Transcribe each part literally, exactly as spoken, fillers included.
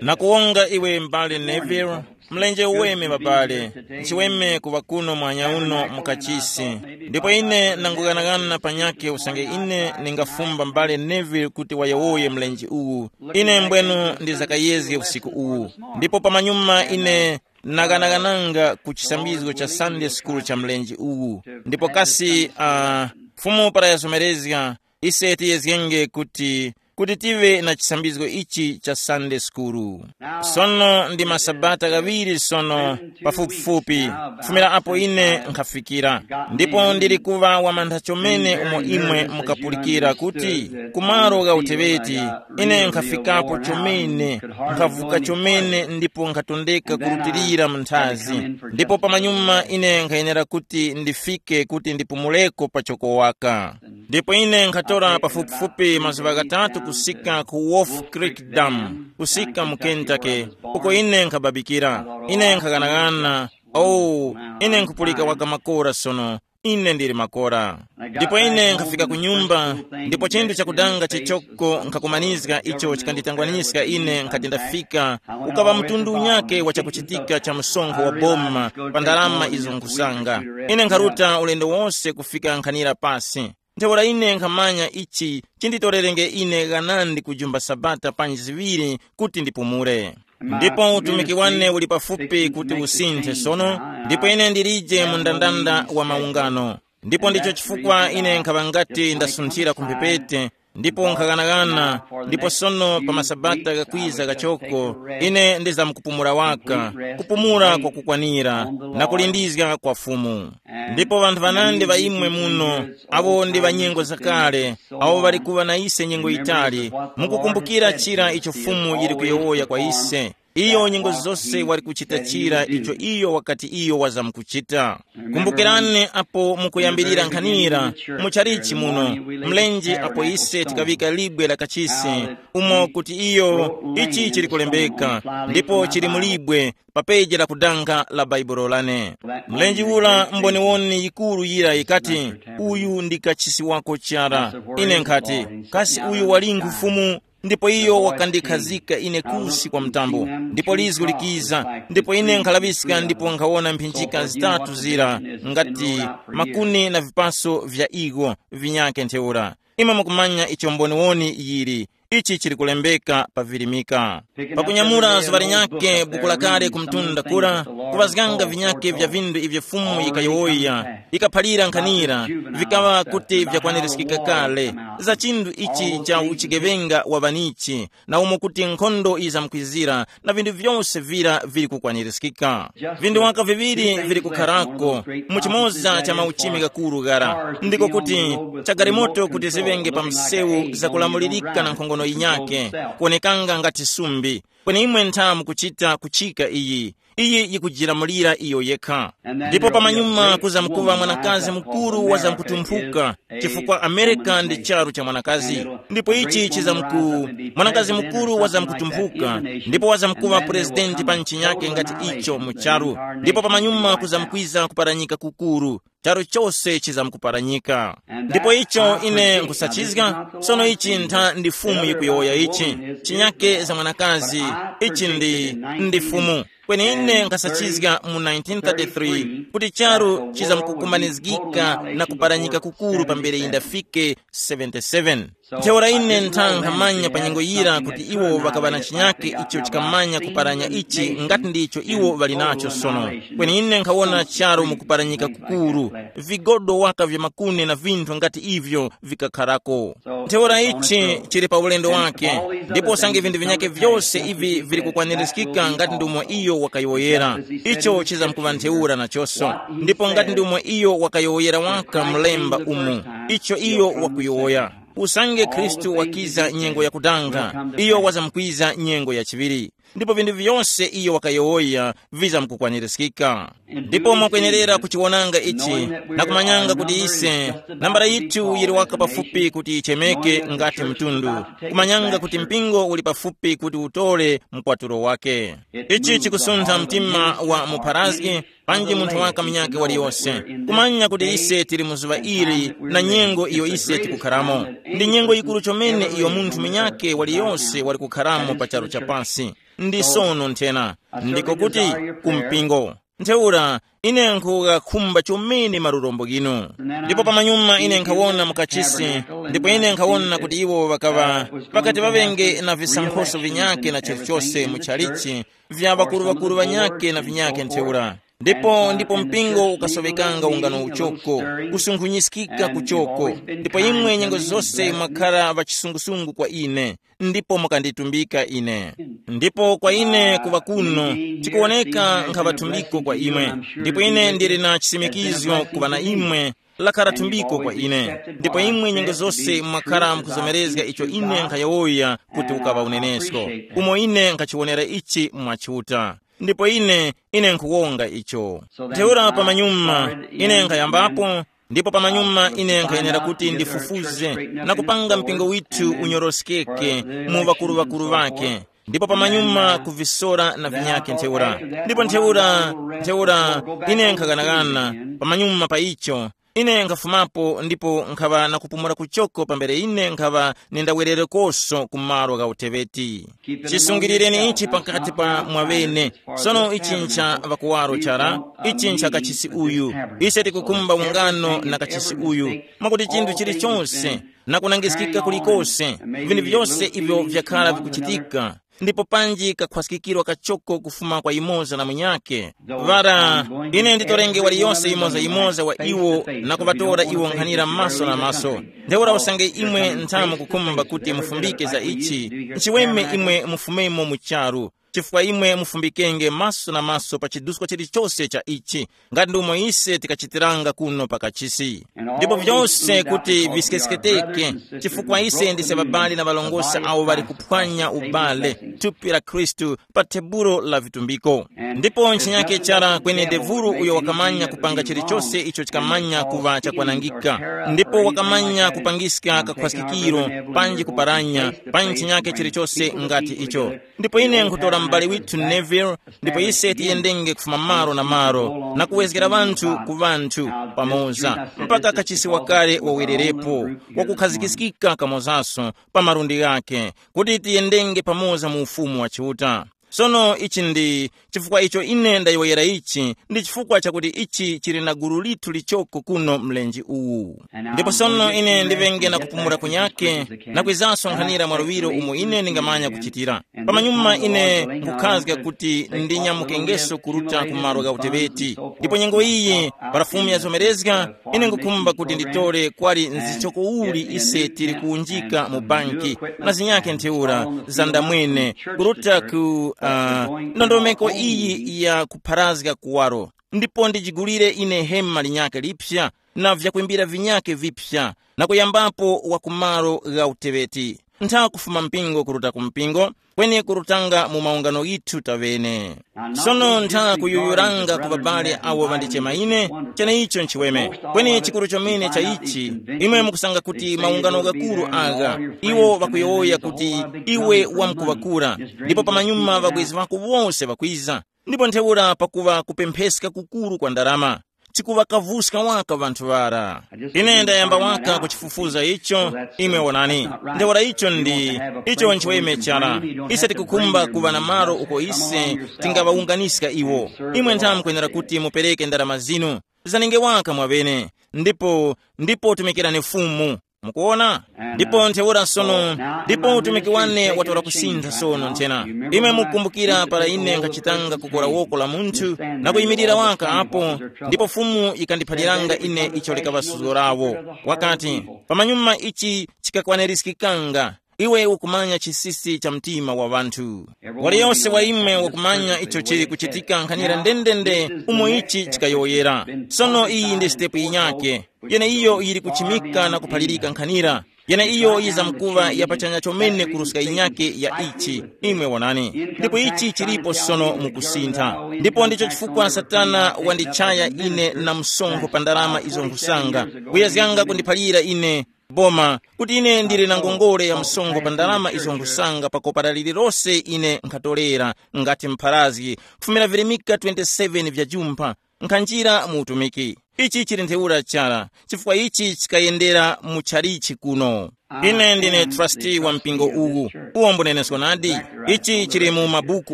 Nakuwonga iwe m'bale Neville, mlenje uweme babale, nchiweme kuŵa kuno mwanya uno mukachisi. Ndipo ine nanguganaghana panyakhe usange ine ningafumba m'bale Neville kuti wayowoye mlenje uwu. Ine mbwenu ndizakayezge usiku uwu. Ndipo pamanyuma ine naghanaghananga ku chisambizgo cha Sunday school cha mlenje uwu. Ndipo kasi uh, Fumu para yazomerezga, ise tiyezgenge kuti kuti tive na chisambizgo ichi cha Sunday school. Sono ndi masabata ghaŵiri sono, pafupifupi, kufumira apo ine nkhafikira. Ndipo ndili kuŵa wamantha chomene umo imwe mukapulikira kuti, kumalo gha uteŵeti, ine nkhafikapo chomene, nkhavuka chomene ndipo nkhatondeka kurutilira mu nthazi. Ndipo pamanyuma ine nkhayenera kuti ndifike kuti ndipumuleko pachoko waka. Ndipo ine nkhatora pafupifupi mazuŵa ghatatu kusika ku Wolf Creek Dam, kusika mu Kentucky, uko ine nkhababikira. Ine nkhaghanagana, oh, ine nkhupulika waka makora sono. Ine ndili makora. Ndipo ine nkhafika ku nyumba, ndipo chinthu chakudanga chichoko nkhakumanizga icho chikanditangwaniska ine nkhati ndafika, ukaŵa mtundu unyake wa chakuchitika cha msonkho wa boma pa ndalama izo nkhusanga. Ine nkharuta ulendo wose kufika nkhanira pasi. Ntheura ine nkhamanya ichi chinditorerenge ine ghanandi kujumba sabata panji ziŵiri kuti ndipumule. Ndipo utumiki wane uli pafupi kuti usinthe sono, ndipo ine ndilije mu ndandanda wa maungano. Ndipo ndicho chifukwa ine nkhaŵa ngati ndasunthira ku mphepete, ndipo nkhaghanagana, ndipo sono pa masabata ghakwiza ghachoko, ine ndizamkupumula waka, kupumula kwakukwanira, na kulindizga kwa Fumu. Ndipo ŵanthu ŵanandi ŵa imwe muno, awo ndi ŵa nyengo zakale, awo ŵali kuŵa na ise nyengo yitali, mukukumbukira chira icho Fumu yili kuyowoya kwa ise. Iyo nyengo zose wali kuchita chira icho iyo wakati iyo wazamkuchita. Kumbukirani apo mukuyambirira nkhanira, muchalichi muno, mlenje apo ise tikaŵika libwe la kachisi, umo kuti iyo, ichi chili kulembeka, ndipo chili mu libwe, pa peji la kudanga la Baibulo lane. Mlenje ura mboniwoni yikuru yira yikati, uyu ndi kachisi wako chara. Ine nkhati, kasi uyu wali nkhufumu? Ndipo iyo wakandikhazika ine kusi kwa mtambo, ndipo lizgu likiza, ndipo ine nkhalaŵiska ndipo nkhawona mphinjika zitatu zira, ngati makuni na vipaso vya igo vinyake ntheura. Imwe mukumanya icho mboniwoni yili, ichi chili kulembeka pa virimika. Pakunyamula zuŵa linyakhe buku lakale ku mtunda kura, kuŵazganga vinyakhe vya vindu ivyo Fumu yikayowoya, ikaphalira nkhanira, vikaŵa kuti vyakwanirizgika kale, za chinthu ichi cha uchigeŵenga wa ŵanichi, na umo kuti nkhondo yizamkwizira, na vinthu vyose vira vili kukwanirizgika. Vinthu waka viŵiri vili kukharako mu chimoza cha mauchimi ghakuru ghara, ndiko kuti cha galimoto kuti ziŵenge pa msewu zakulamulirika na nkhongono yinyakhe, kuwonekanga ngati sumbi. Kweni imwe ntha mukuchita kuchika iyi, iyi yikujilamulira iyo yekha. Ndipo pamanyuma kuzamkuŵa mwanakazi mukuru wazamkutumphuka, chifukwa Amerika ndi charu cha mwanakazi. Ndipo ichi chizamku, mwanakazi mukuru wazamkutumphuka, ndipo wazamkuŵa purezidenti pa nchi yake ngati icho mu charu. Ndipo pamanyuma kuzamkwiza kuparanyika kukuru, charu chose chizamkuparanyika. Ndipo icho ine nkusachizga, sono ichi ntha ndi Fumu yikuyowoya ichi, chinyake za mwanakazi, ichi ndi, ndi Fumu. Kweni ine nkasachizga mu nineteen thirty-three kuti charu chizamkukumanizgika na kuparanyika kukuru pambere yindafike seventy-seven. Ntheura ine ntha nkhamanya pa nyengo yira kuti iwo ŵakaŵa na chinyake icho chikamanya kuparanya ichi ngati ndicho iwo ŵali nacho sono. Kweni ine nkhawona charu mu kuparanyika kukuru, vigodo waka vya makuni na vinthu ngati ivyo vikakharako. Ntheura ichi chili pa ulendo wake, ndipo usange vinthu vinyakhe vyose ivi vili kukwanirizgika ngati ndi umo iyo wakayowoyera, icho chizamkuŵa ntheura nachonso. Ndipo ngati ndi umo iyo wakayowoyera waka mlemba umu, icho iyo wakuyowoya. Usange Khristu wakiza nyengo yakudanga, iyo wazamkwiza nyengo yachiŵiri. Ndipo vinthu vyose iyo wakayowoya vizamkukwanirizgika. Ndipo mwakwenerera kuchiwonanga ichi, na kumanyanga kuti ise nambala yithu yili waka pafupi kuti yichemeke ngati mtundu, kumanyanga kuti mpingo uli pafupi kuti utole mkwatulo wake. Ichi chikusuntha mtima wa mupharazgi, panji munthu waka munyakhe waliyose, kumanya kuti ise tili mu zuŵa ili na nyengo iyo ise tikukharamo. Ndi nyengo yikuru chomene iyo munthu munyakhe waliyose wali kukharamo pa charu cha pasi. Ndi sono nthena, ndiko kuti, ku mpingo. Ntheura, ine nkhuŵakhumba chomene malurombo ghinu. Ndipo pamanyuma ine nkhawona mukachisi, ndipo ine nkhawona kuti iwo ŵakaŵa, ŵakati ŵaŵenge na visankhoso vinyakhe na chilichose mu chalichi, vya ŵakuru-ŵakuru ŵanyakhe na vinyakhe ntheura. Ndipo ndipo mpingo ukasoŵekanga ungano uchoko, kusunkhunyizgika kuchoko. Ndipo imwe nyengo zose mwakhara ŵachisungusungu kwa ine, ndipo mukanditumbika ine. Ndipo kwa ine kuŵa kuno, tikuwoneka nkhaŵa thumbiko kwa imwe. Ndipo ine ndili na chisimikizgo kuŵa na imwe, lakhala thumbiko kwa ine. Ndipo imwe nyengo zose mwakhara mukuzomerezga icho ine nkhayowoya kuti ukaŵa unenesko, umo ine nkhachiwonera ichi mwa Chiuta. Ndipo ine, ine nkhuwonga icho. Ntheura pamanyuma ine nkhayambapo, ndipo pamanyuma ine nkhayenera kuti ndifufuze na kupanga mpingo withu unyoroskeke mu ŵakuru-ŵakuru ŵake. Ndipo pamanyuma kuvisora na vinyakhe ntheura. Ndipo ntheura, ntheura, ine nkhaganaghana pamanyuma pa icho, ine nkhafumapo ndipo nkhaŵa na kupumula kuchoko pambere ine nkhaŵa nindawererekoso ku malo gha uteŵeti. Chisungilireni ichi pakati pa mwaŵene. Sono ichi ncha ŵakuwaro chara, ichi ncha kachisi uyu. Ise tikukhumba ungano na kachisi uyu, mwakuti chinthu chilichonse na kunangiskika kulikose, vinthu vyose ivyo vyakhala vikuchitika, ndipo panji kakhwaskikirwa kachoko kufuma kwa yumoza na munyakhe. Vara, ine nditorenge waliyose yumoza-yumoza wa iwo na kuŵatora iwo nkhanira maso na maso. Ntheura usange imwe nthamu kukhumba kuti mufumbike za ichi, nchiweme imwe mufumemo mu charu, chifukwa imwe mufumbikenge maso na maso pa chiduskwa chilichose cha ichi, ngati ndomwe ise tikachitiranga kuno pa kachisi. Ndipo vyose kuti viskesketeke, chifukwa ise ndise babali na ŵalongosi awo ŵali kuphwanya ubale, thupi la Khristu, pa tebulo la vitumbiko. Ndipo ntchinyake chara kweni devuru uyo wakamanya kupanga chilichose icho chikamanya kuŵa chakwanangika, ndipo wakamanya kupangiska kakhwaskikiro, panji kuparanya, pa ntchinyake chilichose ngati icho. Ndipo ine nkhutora m'bale withu Neville, ndipo ise tiyendenge kufuma malo na malo na kuwezgera ŵanthu ku ŵanthu pamoza, mpaka kachisi wakale wawererepo, wakukhazikiskika kamozaso pa malundi ghakhe, kuti tiyendenge pamoza mu Ufumu wa Chiuta. Sono ichi ndi chifukwa icho ine ndayowoyera ichi, ndi chifukwa chakuti ichi chili na gulu lithu lichoko kuno mlenje uwu. Ndipo sono ine ndiŵenge na kupumula kunyake, na kwizanso nkhanira mwaluŵiro umo ine ndingamanya kuchitira. Pamanyuma ine nkukhazga kuti ndinyamukengeso kuruta ku malo gha uteŵeti. Ndipo nyengo iyi, para Fumu yazomerezga, ine ngukhumba kuti nditore kwali nzichoko uli ise tili kuwunjika mu banki, na zinyakhe ntheura za ndamwene, kuruta ku uh, ndondomeko iyi ya kupharazga kuwaro. Ndipo ndijigulire ine hema linyakhe lipsa, na vyakwimbira vinyakhe vipsa, na kuyambapo wa ku malo gha uteŵeti. Ntha kufuma mpingo kuruta ku mpingo, kweni kurutanga mu maungano ghithu taŵene. Sono ntha kuyuyuranga ku babale awo ŵandichema ine, cheneicho nchiweme. Kweni chikuru chomene cha ichi, imwe mukusanga kuti maungano ghakuru agha, iwo ŵakuyowoya kuti iwe wamkuŵakura, ndipo pamanyuma ŵabwezi ŵako wose ŵakwiza. Ndipo ntheura pakuŵa kupempheska kukuru kwa ndarama, chikuŵakavuska waka ŵanthu ŵara. Ine ndayamba waka kuchifufuza icho, imwe wonani. Ntheura icho ndi icho nchiweme chara. Ise tikukhumba kuŵa na malo uko ise tingaŵawunganiska iwo. Imwe ntha mukwenera kuti mupereke ndarama zinu, zanenge waka mwaŵene, ndipo ndipo tumikirani Fumu. Mukuona? Ndipo ntheura sono, ndipo utumiki wane watora kusintha sono nthena. Imwe mukumbukira para ine nkhachitanga kukora woko la munthu na kuyimirira waka apo, ndipo Fumu yikandiphaliranga ine icho likaŵa suzgo lawo. Wakati, pamanyuma ichi chikakwanirizgikanga, iwe ukumanya chisisi cha mtima wa ŵanthu. Waliyose wa imwe wakumanya icho chili kuchitika nkhanira ndendende umo ichi chikayowoyera. Sono iyi ndi sitepu yinyake. Yeneiyo yili kuchimika na kuphalirika nkhanira. Yeneiyo yizamkuŵa ya pachanya chomene kuruska yinyake ya ichi. Imwe wonani, ndipo ichi chilipo sono mukusintha. Ndipo ndicho chifukwa Satana wandichaya ine na msonkho pa ndalama izo nkhusanga, kuyezganga kundiphalira ine boma, kuti ine ndili na ngongole ya msonkho pa ndalama izo nkhusanga pa kopara lililose ine nkhatolera, ngati mpharazgi, kufumira virimika twenty-seven vya jumpha, nkhanjira mu utumiki. Ichi chili ntheura chara, chifukwa ichi chikayendera mu chalichi kuno. Ine ndine trustee wa mpingo uwu, uwo mbunenesko nadi. Ichi chili mu mabuku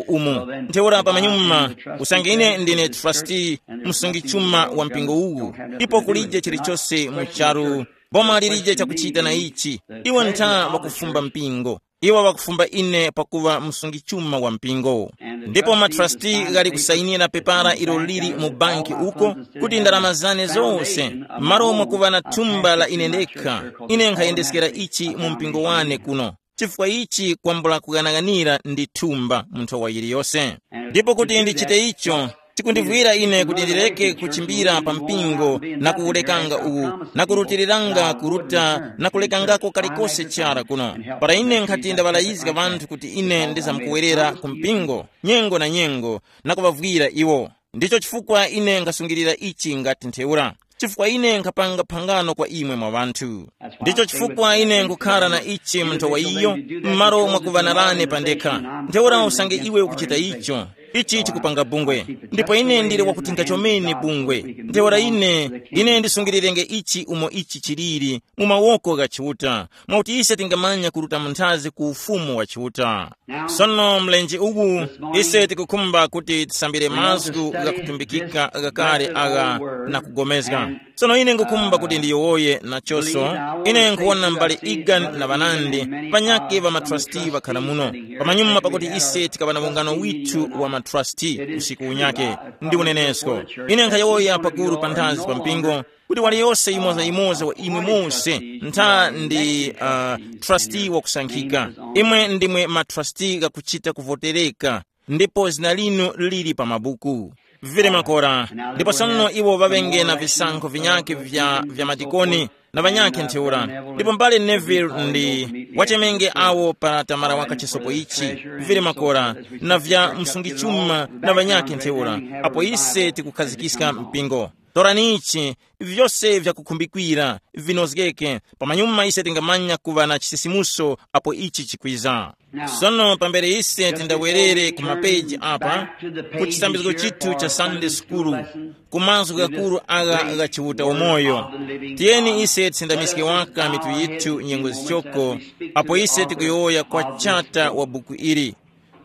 umu. Ntheura pamanyuma, usange ine ndine trustee, msungi chuma wa mpingo uwu, ipo kulije chilichose mu charu, boma lilije chakuchita na ichi. Iwo ntha wakufumba mpingo. Iwo wakufumba ine pakuŵa msungi chuma wa mpingo. Ndipo matrasti ghali kusayinira pepara ilo lili mu banki uko, kuti ndalama zane zose, m'malo mwakuŵa na thumba la ine ndekha, ine nkhayendeskera ichi mu mpingo wane kuno. Chifukwa ichi kwambula kughanaghanira ndi thumba mu nthowa yiliyose. Ndipo kuti ndichite icho, chikundivwira ine kuti ndireke kuchimbira pa mpingo na kuwulekanga uwu, na kurutiriranga kuruta na kulekangako kalikose chara kuno. Para ine nkhati ndaŵalayizga ŵanthu kuti ine ndizamkuwerera ku mpingo nyengo na nyengo, na kuŵavwira iwo. Ndicho chifukwa ine nkhasungilira ichi ngati ntheura, chifukwa ine nkhapanga phangano kwa imwe mwa ŵanthu. Ndicho chifukwa ine nkukhala na ichi mu nthowa iyo, m'malo mwakuŵanarane pandekha. Ntheura usange iwe ukuchita icho, ichi chikupanga bungwe. Ndipo ine ndili wakuthinga chomene bungwe. Ntheura ine, ine ndisungilirenge ichi umo ichi chiliri, mu mawoko gha Chiuta, mwakuti ise tingamanya kuruta munthazi ku ufumu wa Chiuta. Sono mlenje uwu, ise tikukhumba kuti tisambire mazgu ghakutumbikika ghakale agha na kugomezga. Sono ine ngukhumba kuti ndiyowoye nachoso. Ine nkhuwona mbali Egan na ŵanandi, ŵanyakhe ŵa matrasti ŵakhala muno. Pamanyuma pakuti ise tikaŵa na ungano withu wa matrasti usiku unyakhe, ndi unenesko. Ine nkhayowoya pakuru panthazi pa mpingo, kuti waliyose yimoza-yimoza wa imwe mose ntha ndi uh, trustee wakusankhika. Imwe ndimwe matrustee ghakuchita kuvotereka, ndipo zina linu lili pa mabuku. Vili makora. Ndipo sono iwo ŵaŵenge na visankho vinyakhe vya, vya madikoni na ŵanyakhe ntheura. Ndipo mbale Neville ndi wachemenge awo pa tamara waka chisopo ichi, vili makora, na vya msungichuma na ŵanyakhe ntheura, apo ise tikukhazikiska mpingo. Torani ichi, vyose vyakukhumbikwira vinozgeke, pamanyuma ise tingamanya kuŵa na chisisimuso apo ichi chikwiza. Sono pambere ise tindawerere ku mapeji apa, ku chisambizgo chithu cha Sunday School, ku mazgu ghakuru agha gha Chiuta umoyo, tiyeni ise tisindamiske waka mitu yithu nyengo zichoko, apo ise tikuyowoya kwa chata wa buku ili.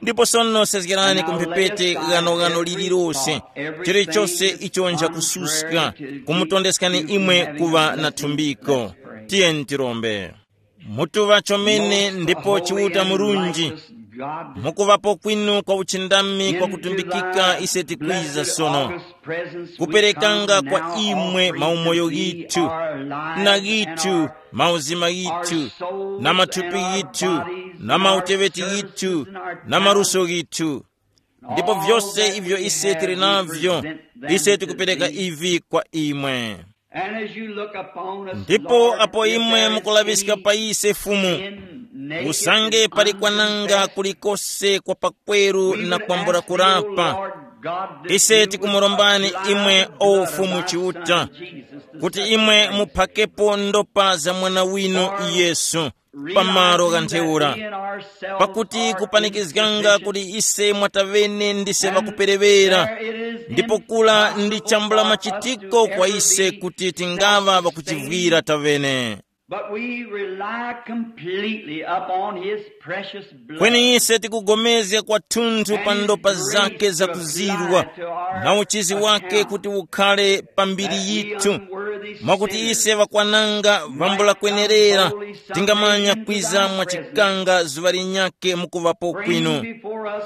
Ndipo sono sezgerani ku mphepete ghanoghano lililose, chilichose icho nchakususka, kumutondeskani imwe kuŵa na thumbiko. Tiyeni tirombe. Mutuŵa chomene ndipo Chiuta murunji, mukuŵapo kwinu kwa uchindami kwa kutumbikika ise tikwiza sono, kuperekanga kwa imwe maumoyo ghithu, na ghithu, mauzima ghithu, na mathupi ghithu, na mauteŵeti ghithu, na maluso ghithu. Ndipo vyose ivyo ise tili navyo, ise tikupereka ivi kwa imwe. Ndipo apo imwe mukulaŵiska pa ise Fumu, usange pali kwananga kulikose kwa pakweru na kwambula kurapa, ise tikumurombani imwe, o Fumu Chiuta, kuti imwe muphakepo ndopa za Mwana winu Yesu, pamalo gha ntheura, pakuti kupanikizganga kuti ise mwatavene ndise ŵakuperewera, ndipo kula ndi chambula machitiko kwa ise kuti tingaŵa ŵakuchivwira tavene. But we rely completely upon his precious blood. Kweni ise tikugomezga kwathunthu pa ndopa zake zakuzirwa, na uchizi wake kuti ukhale pa mbiri yithu, mwakuti ise ŵakwananga vambula kwenerera, tingamanya kwiza mwa chikanga zuŵa linyakhe mukuŵapo kwinu,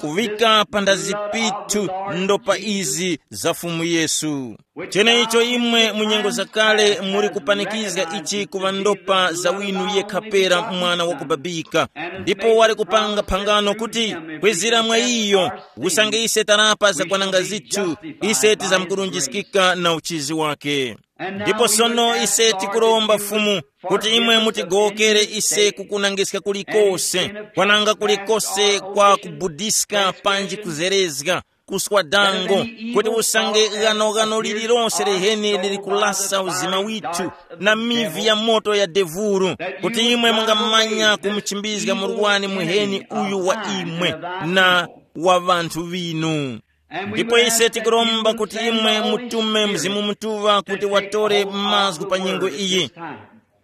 kuŵika panthazi pithu ndopa izi za Fumu Yesu. Cheneicho imwe mu nyengo zakale muli kupanikizga ichi kuŵa ndopa za winu yekha pera mwana wakubabika, ndipo wali kupanga phangano kuti kwezera mwa iyo, usange ise tarapa zakwananga zithu, ise tizamkurunjiskika na uchizi wake. Ndipo sono ise tikuromba Fumu kuti imwe mutigowokere ise kukunangiska kulikose, kwananga kulikose kwa kubudiska panji kuzerezga, kuswa dango, kuti usange ghanoghano lililonse liheni lili kulasa uzima withu na mivi ya moto ya devuru, kuti imwe mungamanya kumuchimbizga murwani muheni uyu wa imwe na wa ŵanthu ŵinu. Ndipo ise tikuromba kuti imwe mutume Mzimu Mutuŵa kuti watore mazgu pa nyengo iyi,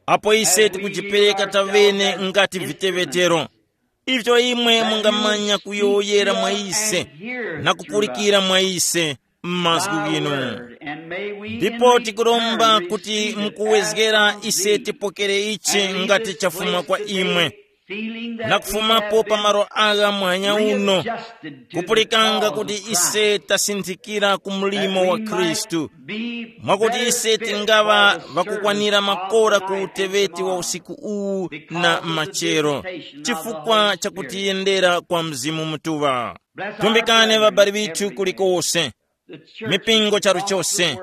apo ise tikujipereka taŵene ngati viteŵetero, ivyo imwe mungamanya kuyowoyera mwa ise na kupulikira mwa ise m'mazgu ghinu. Ndipo tikuromba kuti mukuwezgera ise tipokere ichi ngati chafuma kwa imwe, na kufumapo pa malo agha mwanya uno, kupulikanga kuti ise tasinthikira ku mlimo wa Khristu, mwakuti ise tingaŵa ŵakukwanira makora ku uteŵeti wa usiku uwu na machero, chifukwa cha kutiyendera kwa Mzimu Mutuŵa. Tumbikani ŵabali ŵithu kulikose, mipingo charu chose,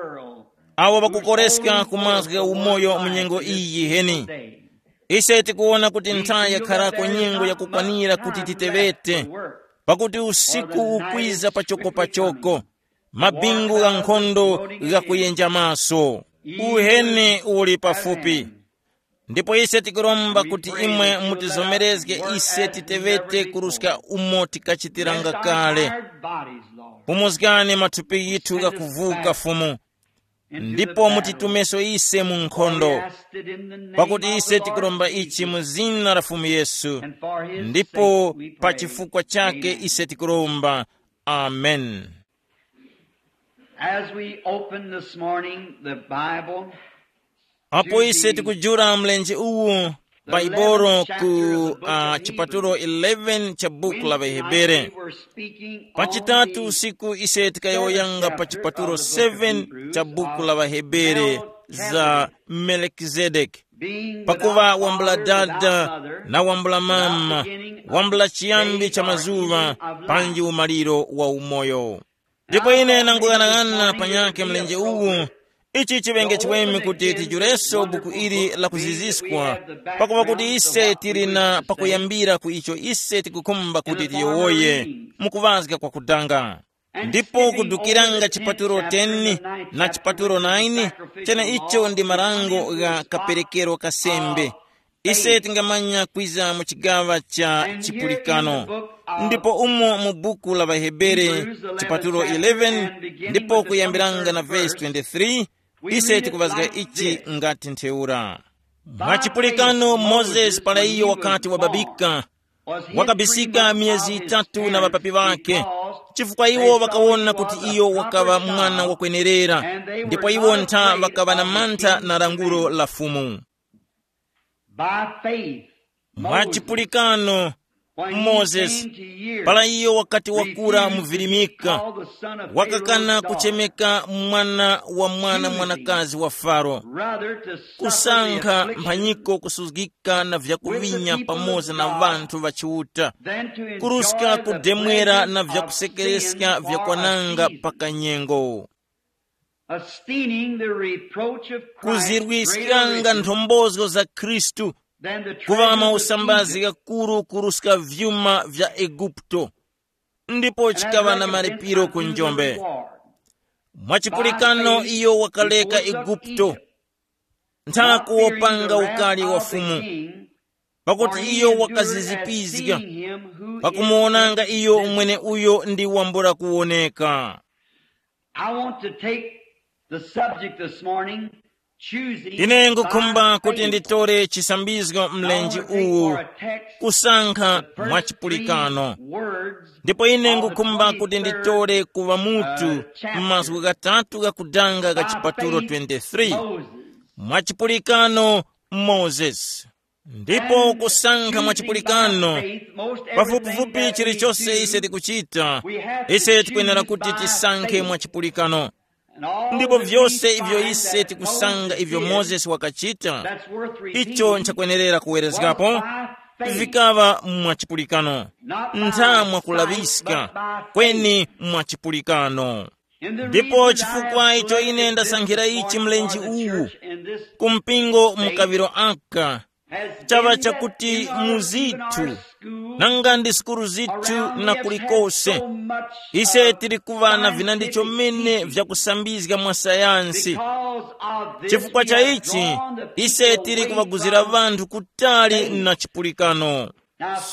awo ŵakukoreska ku mazgu gha umoyo mu nyengo iyi yiheni. Ise tikuwona kuti nthawi yakharako nyengo yakukwanira kuti titeŵete, pakuti usiku ukwiza pachoko pachoko, mabingu gha nkhondo ghakuyenja maso, uheni uli pafupi. Ndipo ise tikuromba kuti imwe mutizomerezge ise titeŵete kuruska umo tikachitiranga kale. Pumuzgani mathupi yithu ghakuvuka, Fumu, ndipo mutitumeso ise mu nkhondo, pakuti ise tikuromba ichi mu zina la Fumu Yesu, ndipo pa chifukwa chake ise tikuromba. Amen. As we open this morning the Bible, apo ise tikujula mlenje uwu, Baibolo ku uh, chipatulo eleven cha buku la Vahebere. Pachitatu usiku ise tikayowoyanga pa chipatulo seven cha buku la Vahebere za Melkizedeki, pakuva wambula dada na wambula mama, wambula chiyambi cha mazuŵa, panji umaliro wa umoyo. Ndipo ine nanguyang'ana panyakhe mlenje uwu, ichi chiŵenge chiweme kuti tijureso buku ili la kuziziskwa, pakuva kuti ise tili na pakuyambira ku icho ise tikukhumba kuti tiyowoye mukuŵazga kwa kudanga. Ndipo kudukiranga chipatulo ten na chipatulo nine, cheneicho ndi marango gha kaperekero ka sembe. Ise tingamanya kwiza mu chigaŵa cha chipulikano. Ndipo umo mu buku la Vahebere, chipatulo eleven, ndipo kuyambiranga na vesi twenty-three, ise tikuvazga ichi ngati ntheura. Mwa chipulikano Mozesi para iyo wakati wababika, wakabisika miyezi itatu na ŵapapi ŵakhe, chifukwa iwo ŵakawona kuti iyo wakaŵa mwana wakwenerera, ndipo iwo ntha ŵakaŵa na mantha na lankhulo la Fumu. By faith, mwa Moses, chipulikano, when he Moses, came to years, para iyo wakati wakura mu virimika, called the son of wakakana Pharaoh's daughter. Kuchemeka mwana wa mwana mwanakazi wa Faro, rather to suffer the kusankha affliction mphanyiko kusuzgika na vyakuvinya pamoza na vanthu va Chiuta, than to enjoy kuruska the kudemwera pleasures na of vyakusekereska sin vya for a kwananga season. Pakanyengo. Esteeming the reproach of Christ kuzirwiskanga greater nthombozo za Khristu than the kuŵa treasures of mausambazi Egypt. Ghakuru kuruska vyuma vya Eguputo, ndipo chikaŵa na malipiro ku njombe. Mwachipulikano iyo wakaleka Eguputo, ntha kuwopanga ukali wa Fumu, pakuti iyo wakazizipizga pakumuwonanga iyo umwene uyo ndi wambula kuwoneka. I want to take the subject this morning, choosing. Ine ngukhumba by kuti faith. Nditore chisambizgo mlenji uwu, kusankha mwachipulikano. Ndipo ine ngukhumba kuti nditore kuva mutu m'mazgu ghatatu ghakudanga gha chipatulo twenty-three, mwachipulikano Moses. Ndipo kusankha mwachipulikano, pafupifupi chilichonse ise tikuchita, ise tikwenera kuti tisankhe mwachipulikano. Ndipo vyose ivyo ise tikusanga ivyo Mozesi wakachita, icho nchakwenerera kuwerezgapo, vikaŵa mwachipulikano, ntha mwakulaŵiska, kweni mwachipulikano. Ndipo chifukwa icho ine ndasankhira ichi mlenje uwu, ku mpingo mu kaŵiro aka, chaŵa chakuti mu zithu, nanga ndi sukulu zithu na kulikose, ise tili kuŵa na vinandi chomene vyakusambizga mwa sayansi. Chifukwa cha ichi, ise tili kuŵaguzira ŵanthu kutali na chipulikano.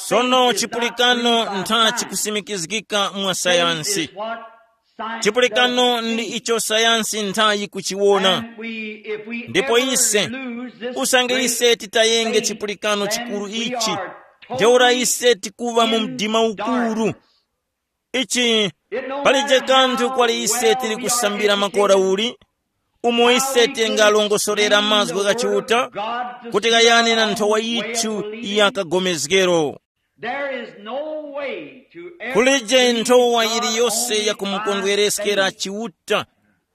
Sono chipulikano ntha chikusimikizgika mwa sayansi. Chipulikano ndi icho sayansi ntha yikuchiwona. Ndipo ise, usange ise titayenge chipulikano chikuru ichi, ntheura ise tikuva mu mdima ukuru. Ichi, palije kanthu kwali ise tili kusambira makora uli, umo ise tingalongosorera mazgu gha Chiuta, kuti ghayane na nthowa yithu ya kagomezgero. There is no way to ever Kulije nthowa yiliyose ya kumukondwereskera Chiuta,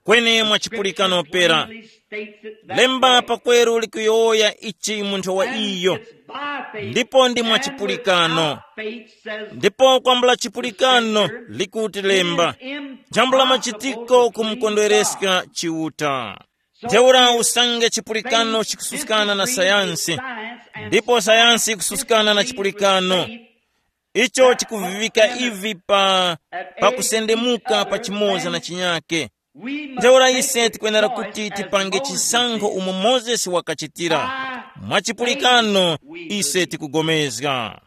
kwene mwa chipulikano pera. Lemba pakweru likuyowoya ichi mu nthowa iyo. Ndipo ndi mwa chipulikano. Ndipo kwambula chipulikano likuti lemba, jambula machitiko kumukondwereska Chiuta. Ntheura usange chipulikano chikususkana na sayansi, ndipo sayansi ikususkana na chipulikano, icho chikuvivika ivi pa, pa kusendemuka pachimoza na chinyake. Ntheura ise tikwenera kuti tipange chisankho umo Mozesi wakachitira. Mwa chipulikano ise tikugomezga.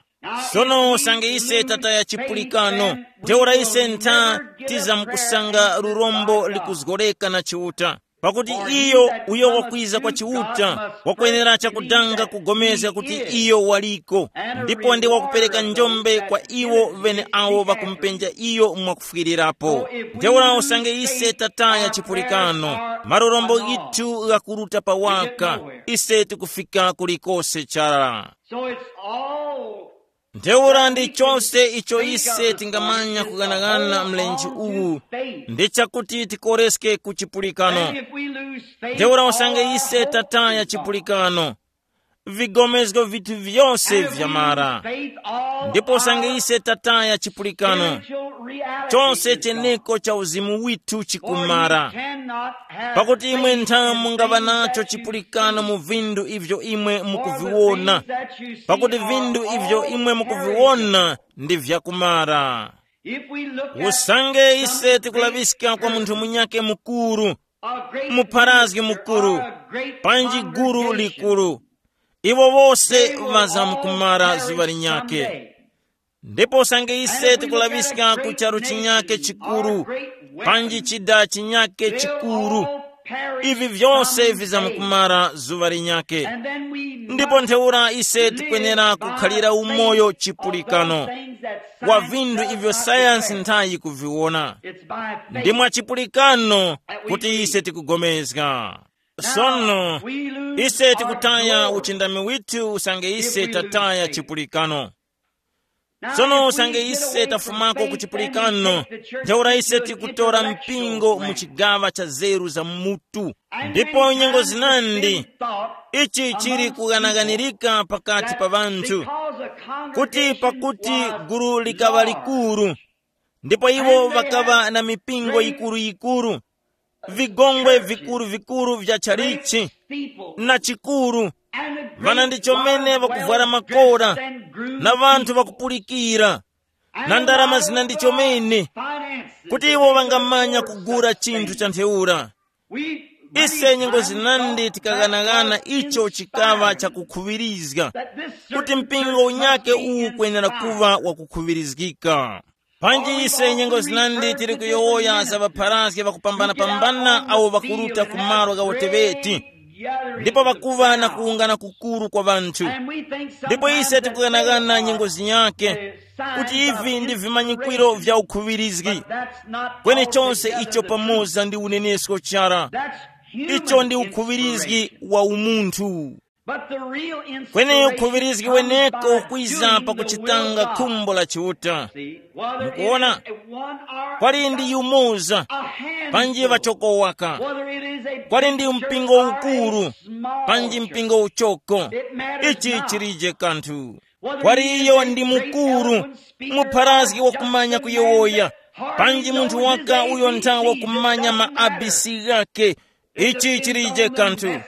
Sono usange ise tataya chipulikano, ntheura ise ntha tizamkusanga lurombo likuzgoreka na Chiuta. Pakuti iyo uyo wakwiza kwa Chiuta wakwenera chakudanga kugomezga kuti iyo waliko, ndipo ndi wakupereka njombe kwa iwo vene awo ŵakumupenja iyo mwakufwirirapo. Ntheura usange ise tataya chipulikano, malorombo ghithu ghakuruta pawaka, ise tikufika kulikose chara. So it's all Ntheura ndi chose icho ise tingamanya kughanagana mlenje uwu, ndi chakuti tikoreske ku chipulikano. Ntheura usange ise tataya chipulikano, vigomezgo vithu vyose vyamara. Ndipo usange ise tataya chipulikano, chose cheneko cha uzimu withu chikumara. Pakuti imwe nthamu mungaŵa nacho chipulikano mu vindu ivyo imwe mukuviwona, pakuti vindu ivyo imwe mukuviwona ndi vyakumara. Usange ise tikulaŵiska kwa munthu munyake mukuru, mupharazgi mukuru, panji guru likuru, iwo wose ŵazamkumara zuŵa linyakhe. Ndipo usange ise tikulaŵiska ku charu chinyakhe chikuru, panji chida chinyakhe chikuru, ivi vyose vizamkumara zuŵa linyakhe. Ndipo ntheura ise tikwenera kukhalira umoyo chipulikano wa vinthu ivyo sayansi nthayi kuviwona. Ndi mwa chipulikano kuti ise tikugomezga. Sono ise tikutaya uchindami withu usange ise tataya chipulikano. Sono usange ise tafumako ku chipulikano, ntheura ise tikutora mpingo mu chigaŵa cha zeru za mutu. Ndipo nyengo zinandi ichi chili kughanaganirika pakati pa ŵanthu, kuti pakuti gulu likaŵa likuru, ndipo iwo ŵakaŵa na mipingo yikuru-yikuru, vigongwe vikuru-vikuru vya chalichi na chikuru, ŵana ndi chomene ŵakuvwara makora, na ŵanthu ŵakupulikira, na ndarama zina ndi chomene, kuti iwo ŵangamanya kugula chinthu cha ntheura. Ise nyengo zinandi tikaghanagana icho chikaŵa chakukhuŵirizga, kuti mpingo unyake uwu kwenera kuŵa wakukhuŵirizgika. Panji ise nyengo zinandi tili kuyowoya za ŵapharazgi ŵakupambana-pambana awo ŵakuruta ku malo gha uteŵeti, ndipo ŵakuŵa na kuwungana kukuru kwa ŵanthu. Ndipo ise tikughanaghana nyengo zinyakhe kuti ivi ndi vimanyikwiro vya ukhuŵirizgi. Kweni chose icho pamoza ndi unenesko chara, icho ndi ukhuŵirizgi wa umunthu. Kweni ukhuŵirizgi weneko ukwiza pakuchitanga khumbo la Chiuta. Mukuona, kwali ndi yumoza, panji ŵachokowaka, kwali ndi mpingo ukuru, panji mpingo uchoko, ichi chilije kanthu. Kwali iyo ndi mukuru, mupharazgi wakumanya kuyowoya, Panji munthu waka uyo nthawe kumanya ma abc ghake. Ichi chilije kanthu.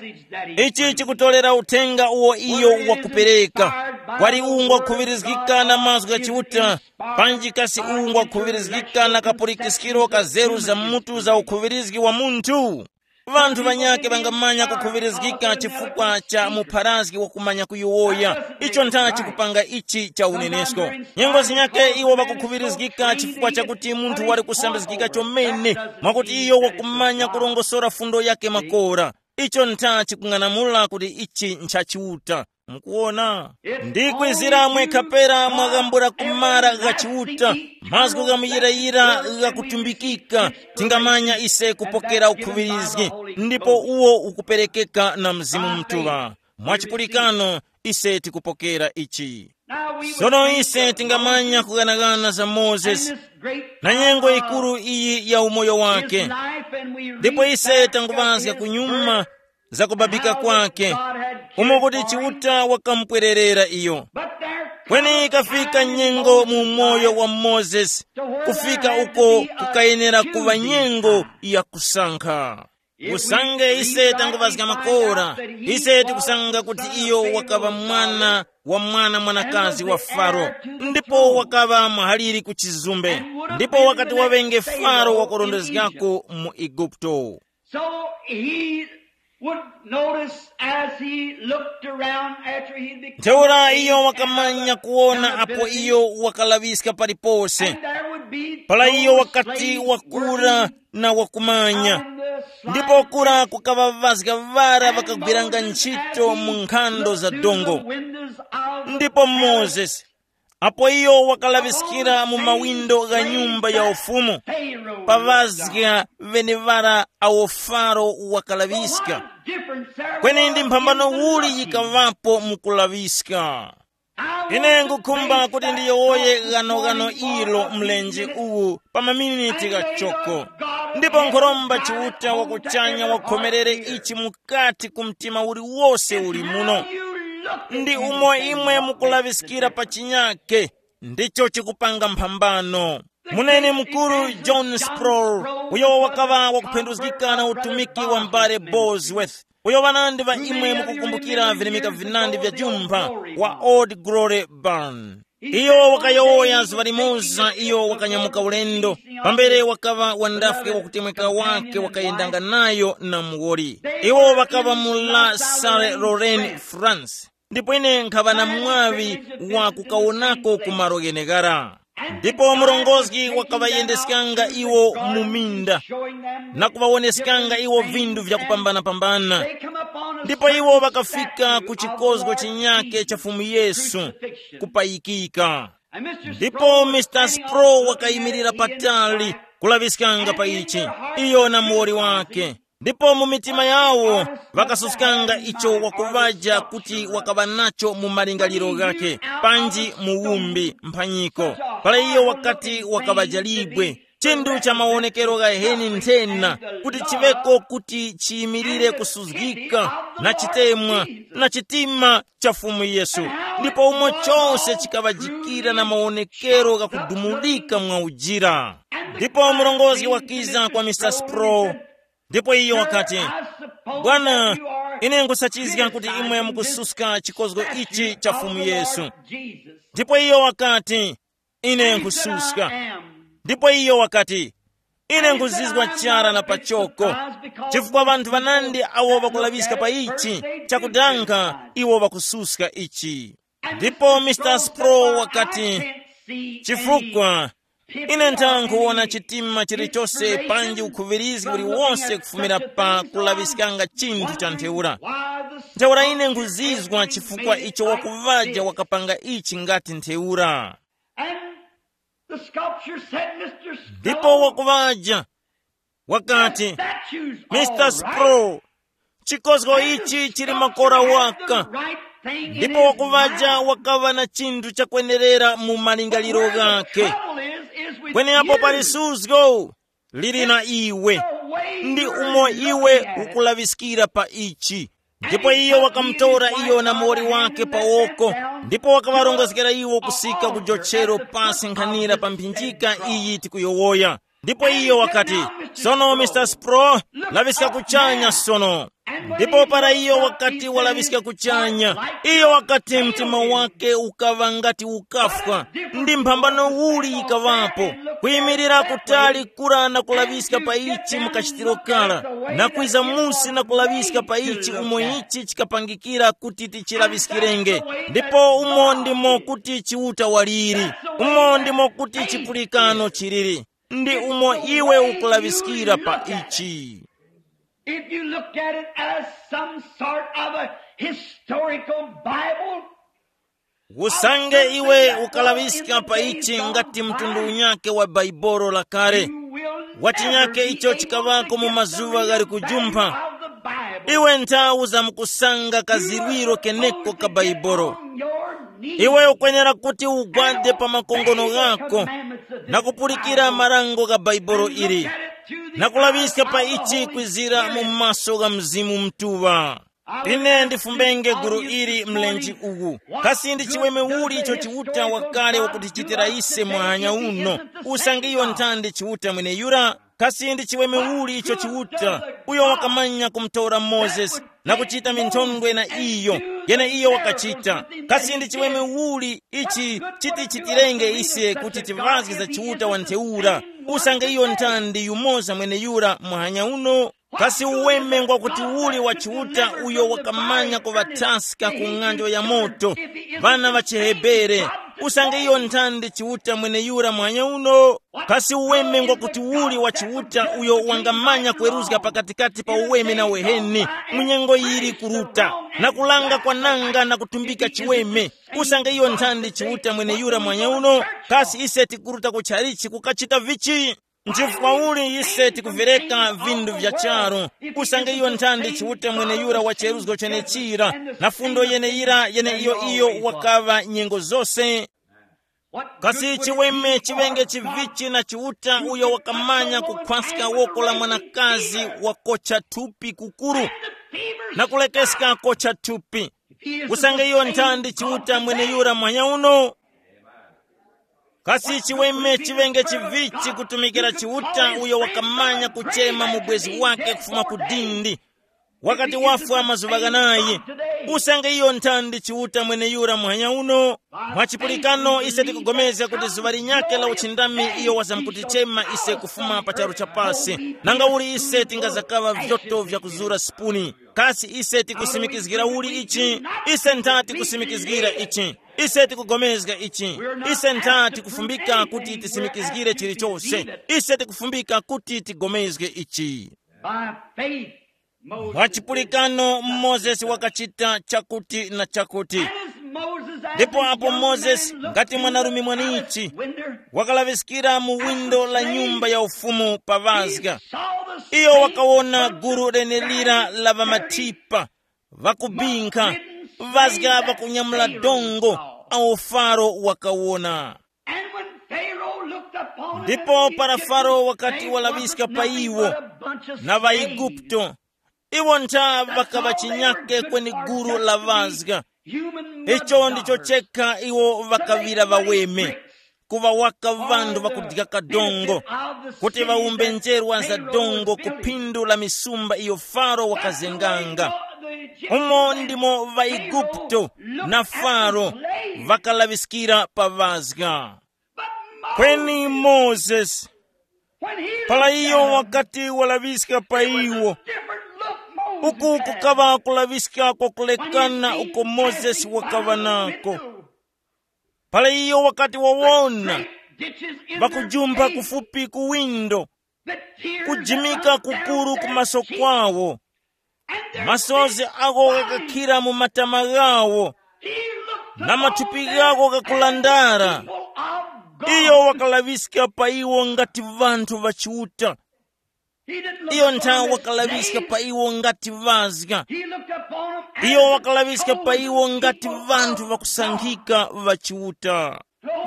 Ichi chikutolera uthenga uwo iyo wakupereka. Kwali uwu ngwakhuŵirizgika na mazgu gha Chiuta, panji kasi uwu ngwakhuŵirizgika na kapulikiskiro ka zeru za mutu za ukhuŵirizgi wa munthu? Vanthu vanyakhe vangamanya kukhuŵirizgika chifukwa cha mupharazgi wakumanya kuyowoya. Icho ntha chikupanga ichi cha unenesko. Nyengo zinyakhe iwo ŵakukhuŵirizgika chifukwa chakuti munthu wali kusambizgika chomene, mwakuti iyo wakumanya kurongosora fundo yake makora. Icho ntha chikung'anamula kuti ichi ncha Chiuta. Mukuwona? Ndikwizira mwe kapera mwaghambula kumara gha Chiuta, mazgu gha muyirayira ghakutumbikika, tingamanya ise kupokera ukhuŵirizgi, ndipo uwo ukuperekeka na Mzimu Mutuŵa. Mwachipulikano, ise tikupokera ichi. Sono ise tingamanya kughanaghana za Mozesi na nyengo yikuru iyi ya umoyo wake. Ndipo ise tanguŵazga kunyuma za kubabika kwake, umo kuti Chiuta wakamupwererera iyo. Kweni ikafika nyengo mu moyo wa Mozesi, kufika uko kukayenera kuŵa nyengo ya kusankha. Usange ise tanguŵazga makora, ise tikusanga kuti iyo wakaŵa mwana wa mwana mwanakazi wa Faro, ndipo wakaŵa muhaliri ku chizumbe, ndipo wakati waŵenge Faro wakurondezgako mu Eguputo. So he would notice as he looked around after he became Ntheura iyo wakamanya kuwona apo iyo wakalaŵiska palipose. And there would be pala iyo those wakati slaves wakura working na wakumanya. On the ndipo slave kura kukaŵavazga ŵara vakagwiranga ntchito mu nkhando za dongo. Ndipo Mozesi, apo iyo wakalaŵiskira mu mawindo gha nyumba ya ufumu, pavazga ŵeneŵara awo Faro wakalaŵiska. Kweni ndi mphambano uli yikaŵapo mu kulaŵiska? Ine ngukhumba kuti ndiyowoye ghanoghano ilo mlenje uwu pa maminiti ghachoko. Ndipo nkhoromba Chiuta wakuchanya wakhomerere ichi mukati ku mtima uliwose uli muno. Ndi umo imwe mukulaŵiskira pa chinyake, ndicho chikupanga mphambano. Munene mukuru John Sproul, uyo wakaŵa wakuphenduzgika na utumiki wa m'bale Bosworth, uyo ŵanandi ŵa imwe mukukumbukira vilemeka vinandi vya jumpha wa Old Glory Barn. Iyo wakayowoya zuŵa limoza iyo wakanyamuka ulendo, pambere wakaŵa wandafwe wakutemweka wake wakayendanga nayo na muwoli. Iwo ŵakaŵa mu La Salle Lorraine, France. Ndipo ine nkhaŵa na mwaŵi wa kukawonako ku malo gheneghara. Ndipo murongozgi wakaŵayendeskanga iwo mu minda na kuŵawoneskanga iwo vinthu vyakupambana-pambana. Ndipo iwo ŵakafika ku chikozgo chinyake cha Fumu Yesu kupayikika. Ndipo Mister Sproul wakayimirira patali kulaŵiskanga pa ichi, iyo na muwoli wake. Ndipo mu mitima yawo ŵakasuskanga icho wakuŵaja kuti wakaŵa nacho mu malingaliro ghakhe, panji mu wumbi mphanyiko. Para iyo wakati wakaŵaja libwe, chinthu cha mawonekero ghaheni nthena, kuti chiŵeko kuti chiyimirire kusuzgika na chitemwa na chitima cha Fumu Yesu. Ndipo umo chose chikaŵajikira na mawonekero ghakudumulika mwa ujira. Ndipo murongozgi wakiza kwa Mister Sproul, ndipo iyo wakati, "Bwana, ine nkhusachizga kuti imwe mukususka chikozgo ichi cha Fumu Yesu." Ndipo iyo wakati, "Ine nkhususka." Ndipo iyo wakati, "Ine nkhuzizwa chara na pachoko, chifukwa ŵanthu ŵanandi awo ŵakulaŵiska pa ichi, chakudanga iwo ŵakususka ichi." Ndipo Mister Sproul wakati, "Chifukwa ine ntha nkhuwona chitima chilichose panji ukhuŵirizgi uliwonse kufumira pa kulaŵiskanga chinthu cha ntheura. Ntheura ine nkhuzizwa chifukwa icho wakuŵaja wakapanga ichi ngati ntheura." And the sculptor said, "Mister Ndipo Sproul, wakuŵaja wakati, statues, Mister all right. Sproul, chikozgo ichi chili makora waka." Ndipo wakuŵaja wakaŵa na chinthu chakwenerera mu malingaliro ghakhe. Kweni apo pali suzgo lili na iwe, ndi umo iwe ukulaŵiskira pa ichi. Ndipo iyo wakamutora iyo na muwoli wake pa woko, ndipo wakaŵarongozgera iwo kusika ku jochero pasi nkhanira pa mphinjika iyi tikuyowoya. Ndipo iyo wakati, "Sono, Mr Spro, laŵiska kuchanya sono." Ndipo para iyo wakati walaŵiska kuchanya, iyo wakati mtima wake ukaŵa ngati ukafwa. Ndi mphambano uli yikaŵapo, kuyimirira kutali kura na kulaŵiska pa ichi mukachitiro kara, na kwiza musi na kulaŵiska pa ichi umo ichi chikapangikira kuti tichilaŵiskirenge. Ndipo umo ndimo kuti Chiuta waliri, umo ndimo kuti chipulikano chiliri. Ndi umo iwe ukulaŵiskira pa ichi. If you look at it as some sort of a historical Bible, usange iwe ukalaŵiska pa ichi ngati mtundu unyake wa Baibolo lakale, wachinyake icho chikaŵako mu mazuŵa ghali kujumpha, iwe nthawu zamkusanga kazirwiro keneko ka Baibolo. Iwe ukwenera kuti ugwade pa makongono ghako na kupulikira marango gha Baibolo ili, na kulaŵiska pa ichi kwizira mu maso gha Mzimu Mutuŵa. Ine ndifumbenge gulu ili mlenje uwu. Kasi ndi chiweme uli icho Chiuta wakale wakutichitira ise mwanya uno? Usange iyo nthandi Chiuta mweneyura. Kasi ndi chiweme uli icho Chiuta, uyo wakamanya kumutora Mozesi na kuchita minthondwe na iyo, yene iyo wakachita? Kasi ndi chiweme uli ichi chitichitirenge ise kuti tivazge za Chiuta wa ntheura? Usange iyo nthandi yumoza mweneyura mwanya uno. Kasi uweme ngwa kuti uli wa Chiuta uyo wakamanya kuŵathaska ku ng'anjo ya moto, ŵana ŵa chiHebere? Usange iyo nthandi Chiuta mweneyura mwanya uno. Kasi uweme ngwa kuti uli wa Chiuta uyo wangamanya kweruzga pakatikati pa uweme na uheni, mu nyengo yili kuruta, na kulanga kwananga na kutumbika chiweme? Usange iyo nthandi Chiuta mweneyura mwanya uno, kasi ise tikuruta ku chalichi kukachita vichi? Nchifukwa uli ise tikuvereka vindu vya charu? Usange iyo nthandi Chiuta mweneyura wa cheruzgo chenechira, na fundo yeneyira yene iyo iyo wakaŵa nyengo zose. Kasi chiweme chiŵenge chivichi na Chiuta uyo wakamanya kukhwaska woko la mwanakazi wakocha thupi kukuru na kulekeska kocha thupi? Usange iyo nthandi Chiuta mweneyura mwanya uno. Kasi chiweme chiŵenge chivichi kutumikira Chiuta uyo wakamanya kuchema mubwezi wake kufuma ku dindi, wakati wafwa mazuŵa ghanayi? Usange iyo nthandi Chiuta mweneyura mwanya uno. Mwa chipulikano ise tikugomezga kuti zuŵa linyakhe la uchindami iyo wazamkutichema ise kufuma pa charu cha pasi. Nanga uli ise tingazakaŵa vyoto vya kuzura sipuni? Kasi ise tikusimikizgira uli ichi? Ise ntha tikusimikizgira ichi. Ise tikugomezga ichi. Ise ntha tikufumbika kuti tisimikizgire chilichose. Ise tikufumbika kuti tigomezge ichi. By faith, Moses mwa chipulikano Mozesi wakachita chakuti na chakuti. And as Moses, as ndipo a apo young Mozesi man, looked ngati through mwanarume the mwanichi palace window, wakalaŵiskira mu windo la nyumba ya ufumu pa vazga, saw the iyo same wakawona gulu lenelira la ŵamathipa ŵakubinkha, vazga ŵakunyamula dongo, awo Faro wakawona. And when Pharaoh looked upon him, ndipo para Faro wakati walaŵiska pa iwo na ŵaigupto, iwo ntha ŵakaŵa chinyake kweni gulu la ŵazga. Icho ndicho chekha iwo ŵakaŵira ŵaweme, kuŵa waka ŵanthu ŵakudya kadongo, kuti ŵawumbe njerwa za dongo ku phindu la misumba iyo Faro wakazenganga. Umo ndimo ŵaigupto na Faro ŵakalaŵiskira pa ŵazga. Kweni Mozesi, para iyo wakati walaŵiska pa iwo, uku kukaŵa kulaŵiska kwakulekana uko Mozesi wakaŵa nako. Para iyo wakati wawona ŵakujumpha kufupi ku windo, kujimika kukuru ku maso kwawo, masozi agho ghakakhira mu matama ghawo, na mathupi ghawo ghakulandara. Iyo wakalaŵiska pa iwo ngati ŵanthu ŵa Chiuta. Iyo nthawe wakalaŵiska pa iwo ngati ŵazga. Iyo wakalaŵiska pa iwo ngati ŵanthu ŵakusankhika ŵa Chiuta.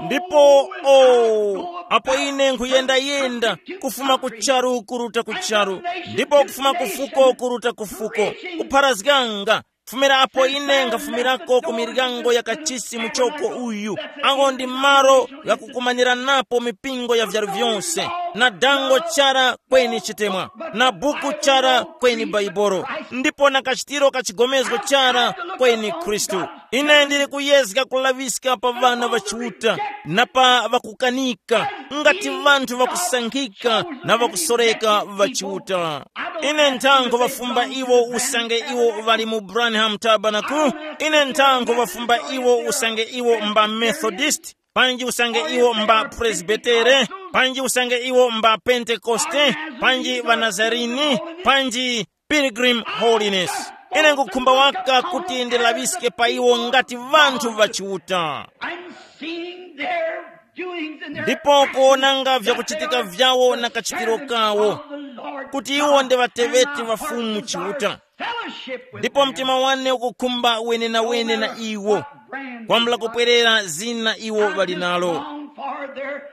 Ndipo o apo ine nkhuyendayenda, kufuma ku charu kuruta ku charu, ndipo kufuma ku fuko kuruta ku fuko, kupharazganga, kufumira apo ine nkhafumirako ku miryango ya kachisi muchoko uyu, ango ndi malo ghakukumaniranapo mipingo ya vyaru vyonse, na dango chara kweni chitemwa, na buku chara kweni Baibolo, ndipo na kachitiro ka chigomezgo chara kweni Khristu. Ine ndili kuyezga kulaŵiska pa ŵana ŵa Chiuta, na pa ŵakukanika, ngati ŵanthu ŵakusankhika na ŵakusoreka ŵa Chiuta. Ine nthankho ŵafumba iwo usange iwo ŵali mu Branham Tabernacle. Ine nthankho ŵafumba iwo usange iwo mba Methodist, panji usange iwo mba Presbytere, panji usange iwo mba Pentekoste, panji ŵanazarini, panji Pilgrim Holiness. Ine ngukhumba waka kuti ndilaŵiske pa iwo ngati ŵanthu ŵa Chiuta. And seeing their doings and their ndipo kuonanga vyakuchitika vyawo na kachitiro kawo, kuti iwo ndi ŵateŵeti ŵa Fumu Chiuta. Ndipo mtima wane ukukhumba wenenawene na iwo, kwambula kupwerera zina iwo ŵali nalo.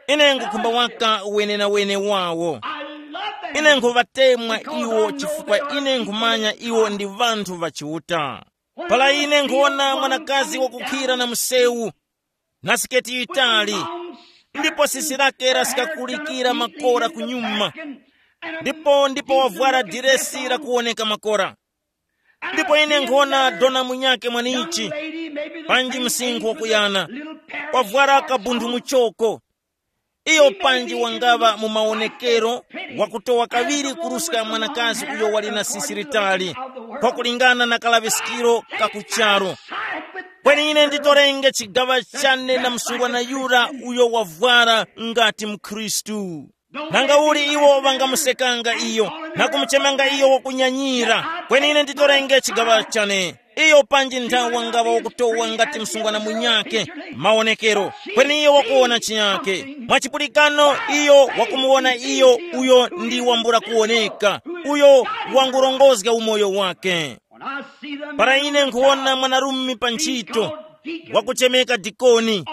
Ine ngukhumba waka wenenawene wawo. Ine nkhuŵatemwa iwo chifukwa ine nkhumanya iwo ndi ŵanthu ŵa Chiuta. Para ine nkhuwona mwanakazi wakukhira na msewu, na siketi yitali, ndipo sisi lake lasikakulikira makora kunyuma, ndipo ndipo wavwara diresi lakuwoneka makora. Ndipo ine nkhona dona munyake mwanichi, panji msinkhu wakuyana, wavwara kabundhu muchoko. Iyo panji wangaŵa mu mawonekero wakutowa kaŵiri kuruska mwanakazi uyo wali na sisi litali, kwakulingana na kalaŵiskiro ka kucharo. Kweni ine nditorenge chigaŵa chane na msungwana yura uyo wavwara ngati mkhristu. Nanga uli iwo ŵangamusekanga iyo, na kumuchemanga iyo wakunyanyira, kweni ine nditorenge chigaŵa chane. Iyo panji nthawi wangaŵa wakutowa ngati msungwana munyakhe mawonekero, kweni iyo wakuwona chinyakhe. Mwachipulikano, iyo wakumuwona iyo uyo ndi wambula kuwoneka, uyo wangurongozga umoyo wake. Para ine nkhuwona mwanarume pa ntchito wakuchemeka dikoni,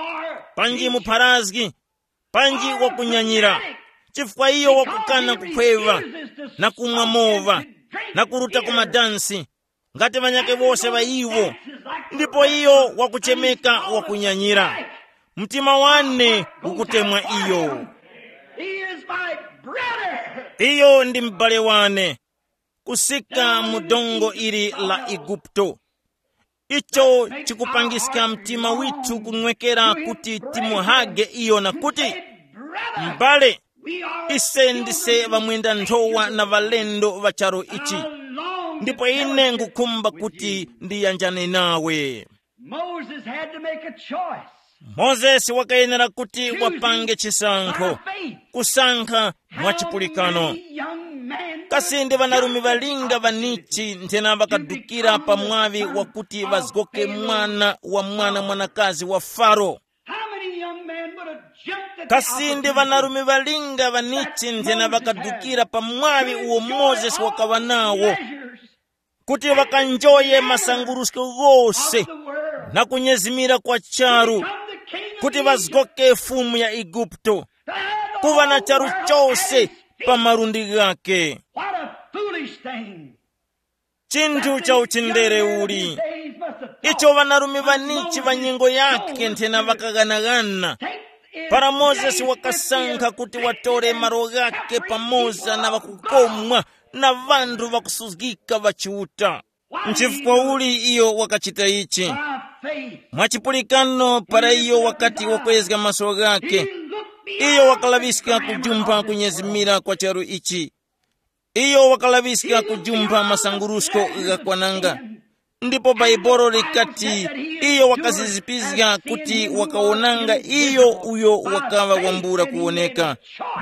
panji mupharazgi, panji wakunyanyira, chifukwa iyo wakukana kukhweŵa, na kumwa mowa, na kuruta ku madansi, ngati ŵanyakhe wose ŵa iwo, ndipo iyo wakuchemeka wakunyanyira. Mtima wane ukutemwa iyo. He is my brother. Iyo ndi m'bale wane, kusika mu dongo ili la Igupto. Icho chikupangiska mtima withu kunwekera kuti timuhage iyo na kuti, m'bale, ise ndise ŵamwenda nthowa na ŵalendo ŵa charu ichi, ndipo ine ngukhumba kuti ndiyanjane nawe. Moses had to make a choice. Mozesi wakayenera kuti wapange chisankho, kusankha mwachipulikano. Kasi ndi ŵanarume ŵalinga ŵanichi nthena ŵakadukira pa mwaŵi wakuti ŵazgoke mwana wa mwana mwanakazi wa Faro? Kasi ndi ŵanarume ŵalinga ŵanichi nthena ŵakadukira pa mwaŵi uwo Mozesi wakaŵa nawo, kuti ŵakanjoye masangurusko ghose na kunyezimira kwa charu, kuti ŵazgoke fumu ya Igupto, kuŵa na charu chose pa malundi ghake. What a foolish thing! Chinthu cha uchindere uli icho ŵanarume ŵanichi ŵa nyengo yake nthena ŵakaghanaghana, para Mozesi wakasankha kuti watore malo ghake pamoza na ŵakukomwa na ŵanthu ŵakusuzgika ŵa Chiuta. Nchifukwa uli iyo wakachita ichi? Mwachipulikano, para iyo wakati wakwezga maso ghake, iyo wakalaŵiska kujumpha kunyezimira kwa charu ichi. Iyo wakalaŵiska kujumpha masangurusko ghakwananga. Ndipo Baibolo likati, iyo wakazizipizga kuti wakawonanga iyo uyo wakaŵa wambula kuwoneka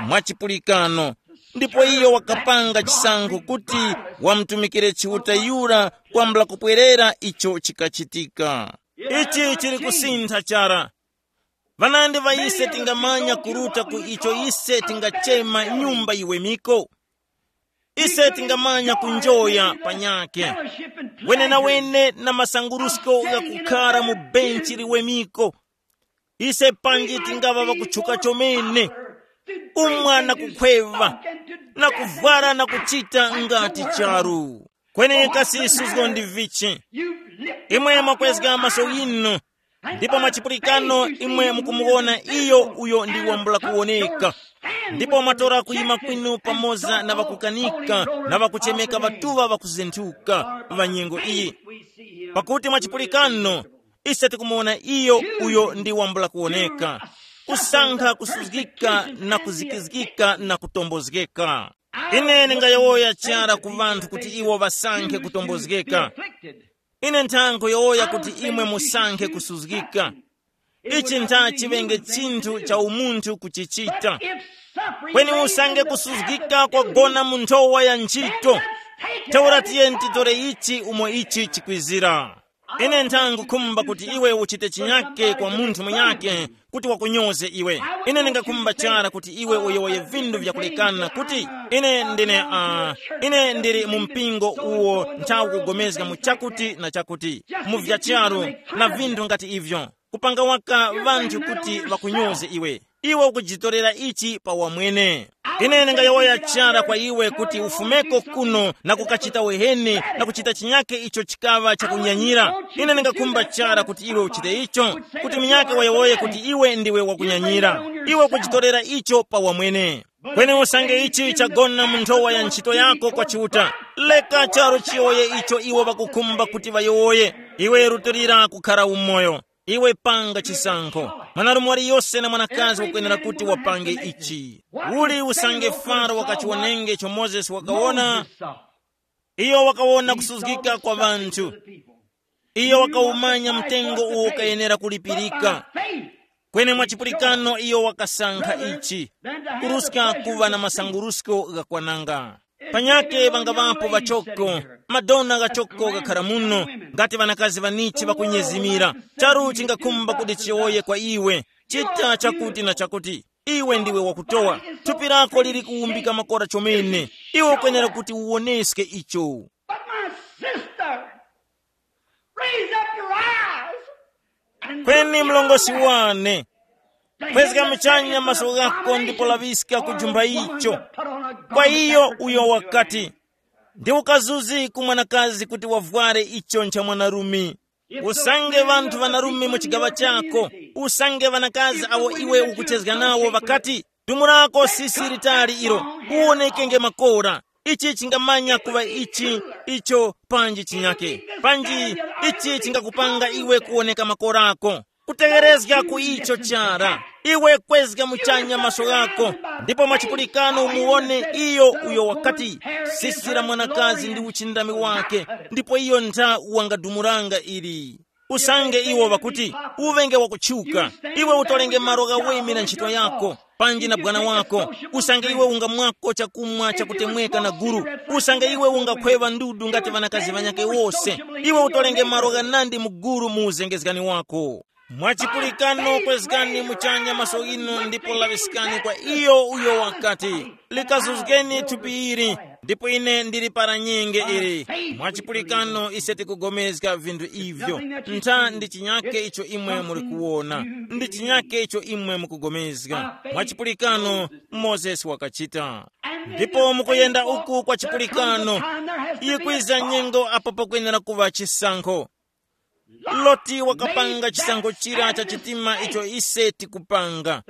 mwachipulikano. Ndipo iyo wakapanga chisankho kuti wamutumikire Chiuta yura kwambula kupwerera icho chikachitika. Ichi chili kusintha chara. Ŵanandi ŵa ise tingamanya kuruta ku icho ise tingachema nyumba yiwemiko. Ise tingamanya kunjoya panyakhe wenenawene na masangurusko ghakukhara mu benchi liwemiko. Ise panji tingaŵa ŵakutchuka chomene, umwa na kukhweva, na kuvwara na kuchita ngati charu. Kweni kasi suzgo ndi vichi? Imwe mwakwezga maso yinu, ndipo mwachipulikano imwe mukumuwona iyo uyo ndi wambula kuwoneka. Ndipo mwatora kuyima kwinu pamoza na ŵakukanika, na ŵakuchemeka ŵatuŵa ŵakuzenthuka ŵa nyengo iyi. Pakuti mwachipulikano ise tikumuwona iyo uyo ndi wambula kuwoneka, kusankha kusuzgika na kuzikizgika na kutombozgeka. Ine ndingayowoya chara ku ŵanthu kuti iwo ŵasankhe kutombozgeka. Ine nthankho yowoya kuti imwe musankhe kusuzgika. Ichi ntha chiŵenge chinthu cha umunthu kuchichita. Kweni usange kusuzgika kwagona mu nthowa ya ntchito, ntheura tiyeni titore ichi umo ichi chikwizira. Ine nthangukhumba kuti iwe uchite chinyake kwa munthu munyake kuti wakunyoze iwe. Ine ndingakhumba chara kuti iwe uyowoye vindu vyakulekana kuti ine ndine uh, ine ndili mu mpingo uwo nthawi kugomezga mu chakuti na chakuti, mu vya charu na vindu ngati ivyo, kupanga waka vanthu kuti vakunyoze iwe. Iwe ukujitorera ichi pa wamwene. Ine ndingayowoya chara kwa iwe kuti ufumeko kuno na kukachita wehene na kuchita chinyake icho chikaŵa chakunyanyira. Ine ndingakhumba chara kuti iwe uchite icho, kuti munyake wayowoye kuti iwe ndiwe wakunyanyira. Iwe ukujitorera icho pa wamwene. Kweni usange ichi chagona mu nthowa ya ntchito yako kwa Chiuta, leka charu chiyowoye icho iwo ŵakukhumba kuti ŵayowoye. Iwe rutilira kukhara umoyo. Iwe panga chisankho. Mwanarume waliyose na mwanakazi wakwenera kuti wapange ichi. Uli usange Faro wakachiwonenge icho Mozesi wakawona, iyo wakawona kusuzgika kwa ŵanthu. Iyo wakawumanya mtengo uwo ukayenera kulipirika. Kweni mwachipulikano iyo wakasankha ichi, kuruska kuŵa na masangurusko ghakwananga. Panyake ŵangaŵapo ŵachoko, madona ghachoko ghakhara muno, ngati ŵanakazi ŵanichi ŵakunyezimira. Charu chingakhumba kuti chiyowoye kwa iwe, chita chakuti na chakuti. Iwe ndiwe wakutowa. Thupi lako lili kuwumbika makora chomene. Iwe ukwenera kuti uwoneske icho. But my sister, raise up your eyes and kweni look mlongosi around wane, kwezga muchanya maso ghako ndipo laŵiska ku chumba icho. Kwa iyo uyo wakati, ndi ukazuzi ku mwanakazi kuti wavware icho ncha mwanarume. Usange ŵanthu ŵanarume mu chigaŵa chako, usange ŵanakazi awo iwe ukuchezga nawo ŵakati, dumurako sisi litali ilo, uwonekenge makora. Ichi chingamanya kuŵa ichi, icho panji chinyake. Panji ichi chingakupanga iwe kuwoneka makorako. Kutegherezga ku icho chara. Iwe kwezga muchanya maso ghako, ndipo mwachipulikano umuwone iyo uyo wakati, sisira mwanakazi ndi uchindami wake, ndipo iyo ntha wangadumuranga ili. Usange iwo ŵakuti, uŵenge wakutchuka, iwe utolenge malo ghaweme na ntchito yako, panji na bwana wako. Usange iwe ungamwako chakumwa chakutemweka na guru, usange iwe ungakhweŵa ndudu ngati ŵanakazi ŵanyake wose, iwe utolenge malo ghanandi mu guru mu uzengezgani wako. Mwachipulikano kwezgani muchanya maso ghinu ndipo laŵiskani kwa iyo uyo wakati, likazuzgeni thupi ili, ndipo ine ndili para nyenge ili. Mwachipulikano ise tikugomezga vinthu ivyo. Ntha ndi chinyake icho imwe muli kuwona, ndi chinyake icho imwe mukugomezga. Mwachipulikano Mozesi wakachita. Ndipo mukuyenda uku kwa chipulikano, yikwiza nyengo apo pakwenera kuŵa chisankho. Loti wakapanga chisankho chira cha chitima icho ise tikupanga.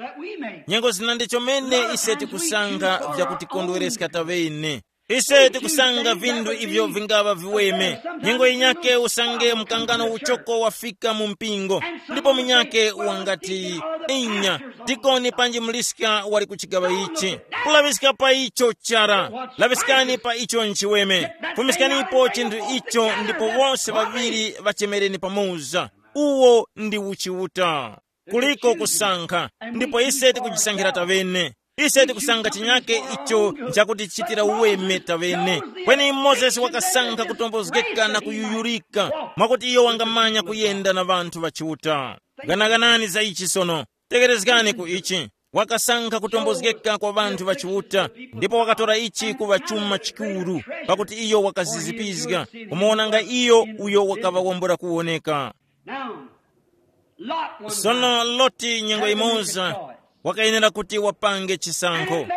Nyengo zina ndi chomene ise tikusankha vyakutikondwereska taŵene. Ise tikusanga vinthu ivyo vingaŵa viweme. Nyengo yinyake usange mkangano uchoko wafika mu mpingo, ndipo munyake wangati, inya, dikoni panji muliska wali ku chigaŵa ichi. Kulaŵiska pa icho chara. Laŵiskani pa icho nchiweme. Fumiskanipo chinthu icho ndipo wose ŵaŵiri ŵachemereni pamoza. Uwo ndi uchiuta. Kuliko kusankha, ndipo ise tikuchisankhira taŵene. Ise tikusanga chinyake icho nchakuti chitira uweme taŵene. Kweni Mozesi wakasankha kutombozgeka na kuyuyurika, mwakuti iyo wangamanya kuyenda na ŵanthu ŵa Chiuta. Ganaganani za ichi sono. Tegerezgani ku ichi. Wakasankha kutombozgeka kwa ŵanthu ŵa Chiuta, ndipo wakatora ichi kuŵa chuma chikuru, pakuti iyo wakazizipizga, kumuwonanga iyo uyo wakaŵa wambula kuwoneka. Now, Sono Loti nyengo imoza wakayenera kuti wapange chisankho.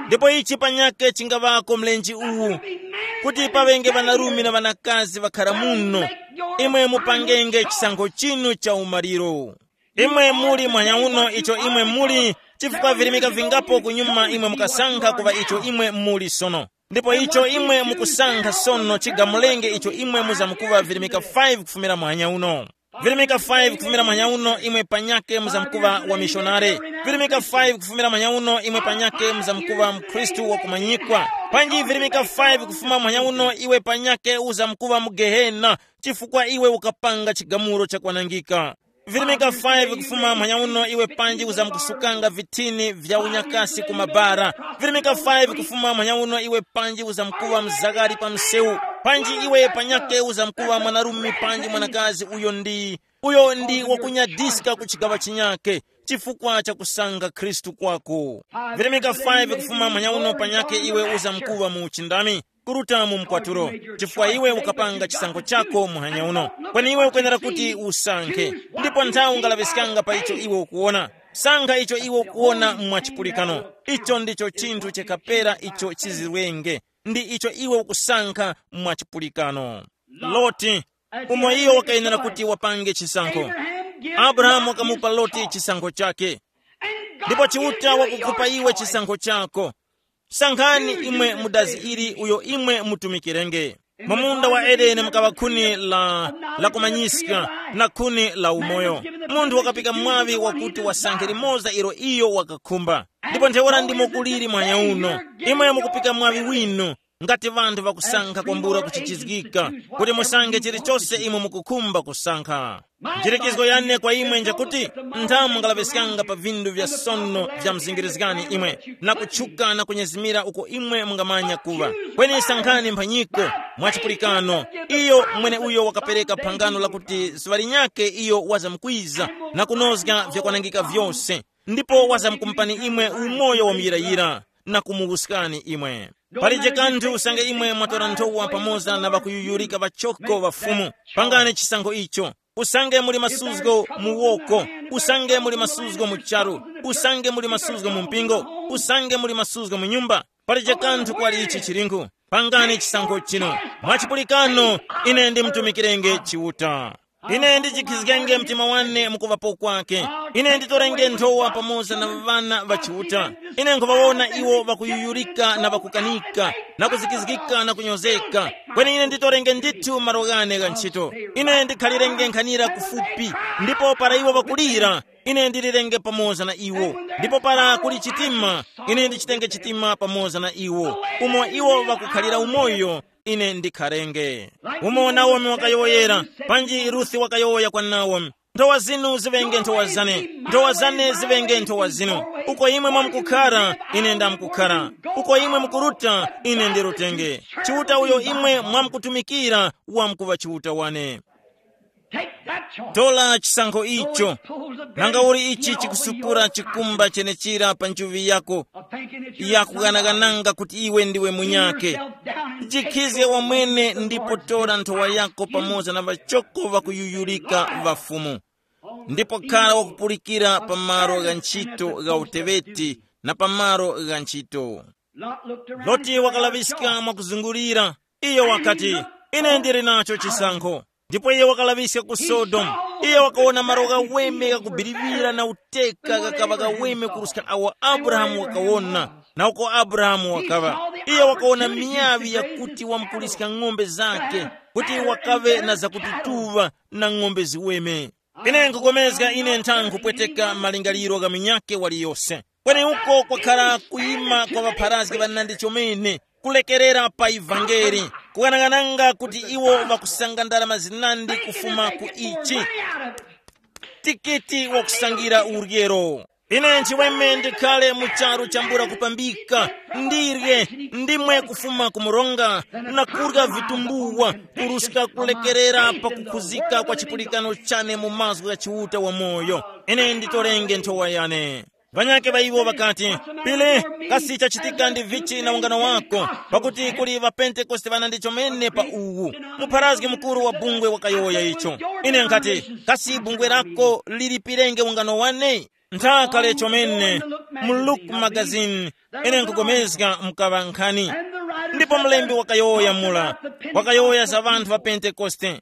Ndipo ichi panyake chingaŵako mlenje uwu, kuti paŵenge ŵanarume na ŵanakazi ŵakhara muno, imwe mupangenge chisankho chinu cha umaliro. Imwe muli mwanyauno icho imwe muli, chifukwa virimika vingapo kunyuma imwe mukasankha kuva icho imwe muli sono. Ndipo icho imwe mukusankha sono chigamulenge icho imwe muzamkuva virimika five kufumira mwanyauno. Virimika five kufumira mwanyauno imwe panyake muzamkuva wa mishonare. Virimika five kufumira mwanyauno imwe panyake muzamkuva mkhristu wakumanyikwa. Panji virimika five kufuma mwanyauno iwe panyake uzamkuva mu gehena, chifukwa iwe ukapanga chigamulo chakwanangika. Virimika five kufuma mwanyauno iwe panji uzamkusukanga vithini vya unyakasi ku mabara. Virimika five kufuma mwanyauno iwe panji uzamkuwa mzakari pa msewu. Panji iwe panyake uzamkuwa mwanarume panji mwanakazi uyo ndi uyo ndi wakunyadiska ku chigawa chinyake, chifukwa cha kusanga Khristu kwako. Virimika five kufuma mwanyauno panyake iwe uzamkuwa mu uchindami, kuruta mu mkwatulo, chifukwa iwe ukapanga chisankho chako muhanya uno. Kweni iwe ukwenera kuti usankhe, ndipo nthawi ungalaŵiskanga pa icho iwe ukuwona. Sankha icho iwe ukuwona mwachipulikano. Icho ndicho chinthu chikapera icho chizirwenge, ndi icho iwe ukusankha mwachipulikano. Loti, umo iyo wakayenera kuti wapange chisankho. Abrahamu wakamupa Loti chisankho chake. Ndipo Chiuta wakukupa iwe chisankho chako. Sankhani imwe mudazi ili uyo imwe mutumikirenge. Mu munda wa Edeni mukaŵa khuni la, la kumanyiska, na khuni la umoyo. Munthu wakapika mwaŵi wakuti wasankhe limoza ilo iyo wakakhumba. Ndipo ntheura ndimo kuliri mwanya uno. Imwe mukupika mwaŵi winu, ngati ŵanthu ŵakusankha kwambula kuchichizgika, kuti musankhe chilichose imwe mukukhumba kusankha. Nchilikizo yane kwa imwe njakuti, nthamu ngalaŵeskanga pa vindu vya sono vya mzingirizgani imwe, na kutchuka na kunyezimira uko imwe mungamanya kuŵa. Kweni sankhani mphanyiko, mwachipulikano, iyo mwene uyo wakapereka phangano lakuti zuŵa linyakhe iyo wazamkwiza na kunozga vyakwanangika vyose, ndipo wazamkumpani imwe umoyo wa muyirayira na kumuwuskani imwe. Palije kanthu usange imwe mwatora nthowa pamoza na ŵakuyuyurika ŵachoko ŵa Fumu. Pangani chisankho icho. Usange muli masuzgo mu woko, usange muli masuzgo mu charu, usange muli masuzgo mu mpingo, usange muli masuzgo mu nyumba, palije kanthu kwali ichi chilinkhu. Pangani chisankho chino. Mwachipulikano, ine ndimtumikirenge Chiuta. Ine ndichikhizgenge mtima wane mukuvapo kwake. Ine nditorenge nthowa pamoza na ŵana ŵa Chiuta. Ine nkhuŵawona iwo ŵakuyuyurika na ŵakukanika, na kuzikizgika na kunyozeka. Kweni ine nditorenge ndithu malo ghane gha ntchito. Ine ndikhalirenge nkhanira kufupi, ndipo para iwo ŵakulira, ine ndilirenge pamoza na iwo. Ndipo para kuli chitima, ine ndichitenge chitima pamoza na iwo. Umo iwo ŵakukhalira umoyo, ine ndikharenge. Umo Naomi wakayowoyera, panji Ruthi wakayowoya kwa Naomi, nthowa zinu ziŵenge nthowa zane, nthowa zane ziŵenge nthowa zinu. Uko imwe mwamkukhara, ine ndamkukhara. Uko imwe mukuruta, ine ndirutenge. Chiuta uyo imwe mwamkutumikira wamkuŵa Chiuta wane. Take that choice. Tola chisankho icho. Nanga uli ichi chikusupura chikumba chenechira pa nchuvi yako, yakuganagananga kuti iwe ndiwe munyake. Jikhizge wamwene ndipo tora nthowa yako pamoza na ŵachoko ŵakuyuyurika ŵa Fumu, ndipo khala wakupulikira pa malo gha ntchito gha uteŵeti na pa malo gha ntchito. Loti wakalaŵiska mwakuzungulira. Iyo wakati, ine ndili nacho chisankho. Ndipo iye wakalaŵiska ku Sodomu. Iye wakawona malo ghaweme ghakubiriwira na uteka ghakaŵa ghaweme kuruska awo Abrahamu wakawona, na uko Abrahamu wakaŵa. Iye wakawona miyaŵi yakuti wamkuliska ng'ombe zakhe, kuti wakaŵe na zakututuŵa na ng'ombe ziweme. Ine nkupulikana ine ntha nkhupweteka malingaliro gha munyakhe waliyose. Kweni uko kwakhala kuyima kwa ŵapharazgi ŵanandi chomene, kulekerera pa ivangeli, kughanaghananga kuti iwo ŵakusanga ndalama zinandi kufuma ku ichi. Tikiti wakusangira uryero. Ine nchiweme ndikhale mu charu chambula kupambika, ndirye, ndimwe kufuma ku mronga, na kurya vitumbuwa, kuruska kulekerera pa kukhuzika kwa chipulikano chane mu mazgu gha Chiuta wamoyo. Ine nditorenge nthowa yane. Ŵanyakhe ŵa iwo ŵakati, pile, kasi chachitika ndi vichi na ungano wako? Pakuti kuli ŵapentekoste ŵana ndi chomene pa uwu. Mupharazgi mukuru wa bungwe wakayowoya icho. Ine nkhati, kasi bungwe lako lilipirenge ungano wane? Nthaka le chomene, mu Look magazine, ine nkugomezga mkaŵa nkhani. Ndipo mlembi wakayowoya mula, wakayowoya za ŵanthu ŵa pentekoste.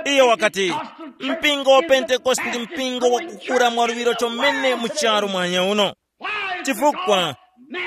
Iyo wakati, mpingo wa pentekoste ndi mpingo wakukura mwaluŵiro chomene mu charu mwanya uno. Chifukwa,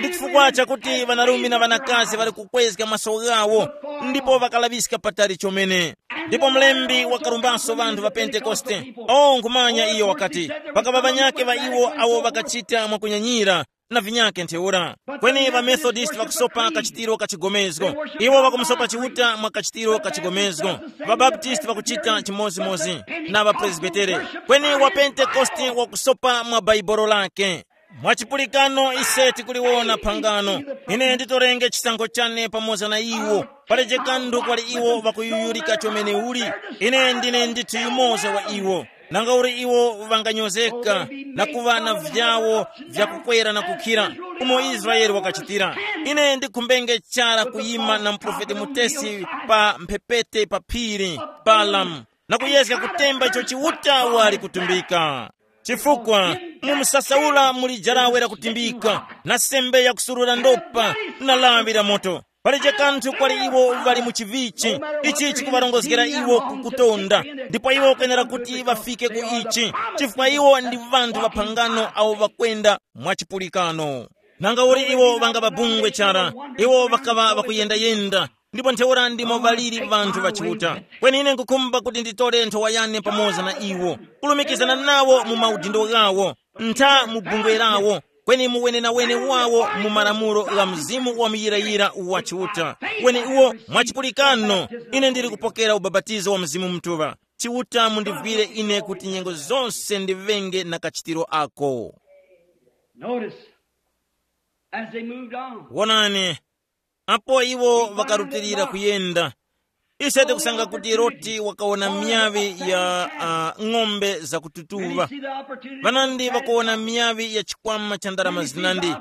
ndi chifukwa chakuti ŵanarume na ŵanakazi ŵali kukwezga maso ghawo, ndipo ŵakalaŵiska patali chomene. Ndipo mlembi wakarumbaso ŵanthu ŵa pentekoste. O nkhumanya iyo wakati, pakava ŵanyakhe ŵa iwo awo ŵakachita mwakunyanyira, na vinyakhe ntheura. Kweni ŵamethodist ŵakusopa kachitiro ka chigomezgo. Iwo ŵakumusopa Chiuta mwa kachitiro ka chigomezgo. Ŵabaptisti ŵakuchita chimodzimodzi, na ŵapresbitere. Kweni wapentekoste wakusopa mwa bhaibolo lake. Mwachipulikano ise tikuliwona phangano. Ine nditorenge chisankho chane pamoza na iwo. Paleje kanthu kwali iwo ŵakuyuyurika chomene uli. Ine ndine ndithu yumoza wa iwo. Nanga uli iwo ŵanganyozeka, na kuŵa na vyawo vyakukwera na kukhira, umo Israele wakachitira. Ine ndikhumbenge chara kuyima na muprofeti mutesi pa mphepete pa phiri, Balamu, na kuyezga kutemba icho Chiuta wali kutumbika. Chifukwa, mu msasaula muli jarawe lakutimbika, na sembe yakusurura ndopa, na lawi la moto. Palije kanthu kwali iwo ŵali mu chivichi, ichi chikuŵarongozgera iwo ku kutonda, ndipo iwo kwenera kuti ŵafike ku ichi, chifukwa iwo ndi ŵanthu ŵa phangano awo ŵakwenda mwa chipulikano. Nanga uli iwo ŵangababungwe chara, iwo ŵakaŵa ŵakuyendayenda, ndipo ntheura ndimo ŵaliri ŵanthu ŵa Chiuta. Kweni ine nkukhumba kuti nditore nthowa yane pamoza na iwo, kulumikizana nawo mu maudindo ghawo, ntha mu bungwe lawo, kweni mu wenenawene wawo mu malamulo gha Mzimu wa muyirayira wa Chiuta. Kweni uwo mwachipulikano, ine ndili kupokera ubapatizo wa Mzimu Mutuŵa. Chiuta mundivwire ine kuti nyengo zonse ndiŵenge na kachitiro ako. Notice, as they moved on, wonani, apo iwo vakarutilira kuyenda, ise tikusanga kuti Loti wakawona miyavi ya uh, ng'ombe zakututuva. Vanandi vakawona miyavi ya chikwama cha ndarama zinandi.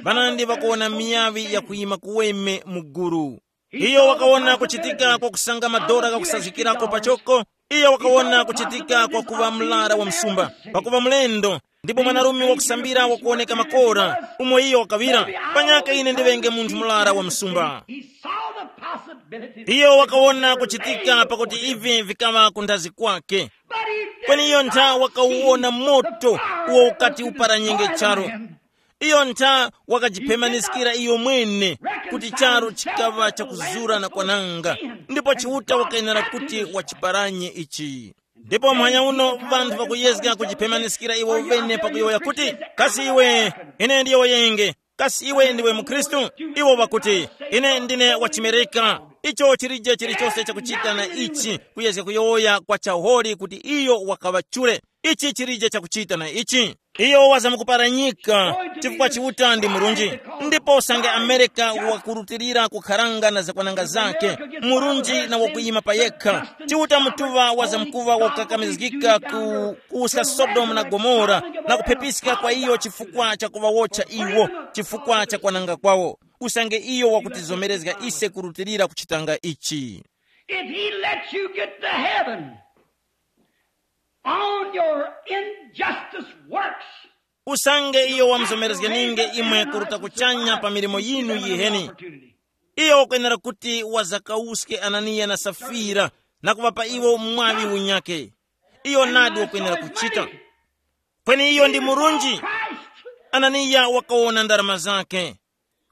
Vanandi vakawona miyavi ya kuyima kuweme mu gulu. Iyo wakawona kuchitika kwa kusanga madora ghakusazgikirako pachoko. Iyo wakawona kuchitika kwa kuŵa mlara wa msumba, pakuva mlendo, ndipo mwanarume wakusambira wakuwoneka makora, umo iyo wakaŵira, panyaka ine ndiŵenge munthu mlara wa msumba. He saw the possibility. Iyo wakawona kuchitika pakuti ivi vikaŵa kundazi kwake. But he did kweni iyo ntha not wakauwona see moto the fire uwo ukati that was upara nyenge defiling charo him. Iyo ntha wakajipemaniskira iyo mwene kuti charo chikaŵa chakuzura na kwananga, ndipo Chiuta wakayenera kuti wachiparanye ichi. Ndipo mwanya uno vanthu vakuyezga kujipemaniskira iwo vene pakuyowoya kuti, kasi iwe, ine ndiyo yenge, kasi iwe ndiwe mukhristu? Iwo vakuti, ine ndine wachimereka. Icho chilije chilichonse chakuchita na ichi, kuyezga kuyowoya kwa chaholi kuti iyo wakaŵa chule. Ichi chilije chakuchita na ichi. Iyo wazamukuparanyika, chifukwa Chiuta ndi murunji. Ndipo usange Amerika wakurutilira kukharanga na zakwananga zake, murunji na wakuyima pa yekha, Chiuta mutuŵa wazamkuŵa wakukakamizgika ku kuwuska Sodomu na Gomora, na kuphepiska kwa iyo chifukwa cha kuŵawotcha iwo, chifukwa cha kwananga kwawo. Usange iyo wakutizomerezga ise kurutilira kuchitanga ichi. If he lets you get to heaven on your injustice works, usange iyo wamuzomerezgeninge imwe kuruta kuchanya pa milimo yinu yiheni, iyo wakwenera kuti wazakawuske Ananiya na Safira na kuŵapa iwo mwaŵi unyakhe. Iyo nadi wakwenera kuchita. Kweni iyo ndi murunji. Ananiya wakawona ndarama zake.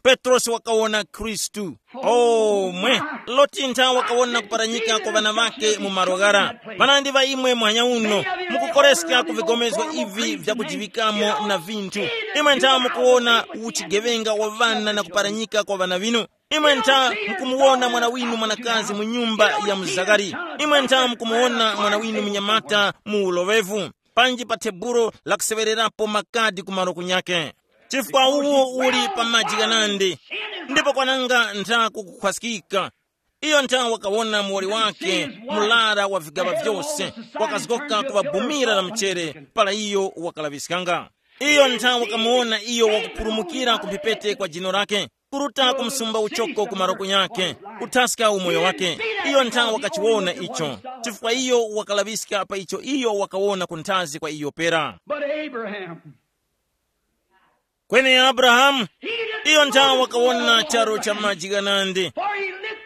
Petrosi wakawona Khristu. Oh mwe, Loti ntha wakawona kuparanyika kwa ŵana ŵake mu malo ghara. Ŵanandi ŵa imwe muhanya uno, mukukoreska ku vigomezgo ivi vyakujiŵikamo na vinthu. Imwe ntha mukuwona uchigeŵenga wa ŵana na kuparanyika kwa ŵana ŵinu. Imwe ntha mukumuwona mwana winu mwanakazi mu nyumba ya mzakari. Imwe ntha mukumuwona mwana winu munyamata mu uloŵevu, panji pa thebulo lakuseŵererapo makadi ku malo kunyakhe. Chifukwa uwu uli pa maji ghanandi, ndipo kwananga ntha kukukhwaskika. Iyo ntha wakawona muwoli wake, murara wa vigaŵa vyose, wakazgoka ku ŵabumira la mchere, para iyo wakalaŵiskanga. Iyo nthawi wakamuwona iyo wakupulumukira ku mphepete kwa jino lake, kuruta ku msumba uchoko ku maroko yake, kuthaska umoyo wake. Iyo nthawi wakachiwona icho, chifukwa iyo wakalaŵiska pa icho iyo wakawona kunthazi kwa iyo pera. But Abraham, Kweni Abrahamu, iyo nthawi wakawona charo cha maji ghanandi,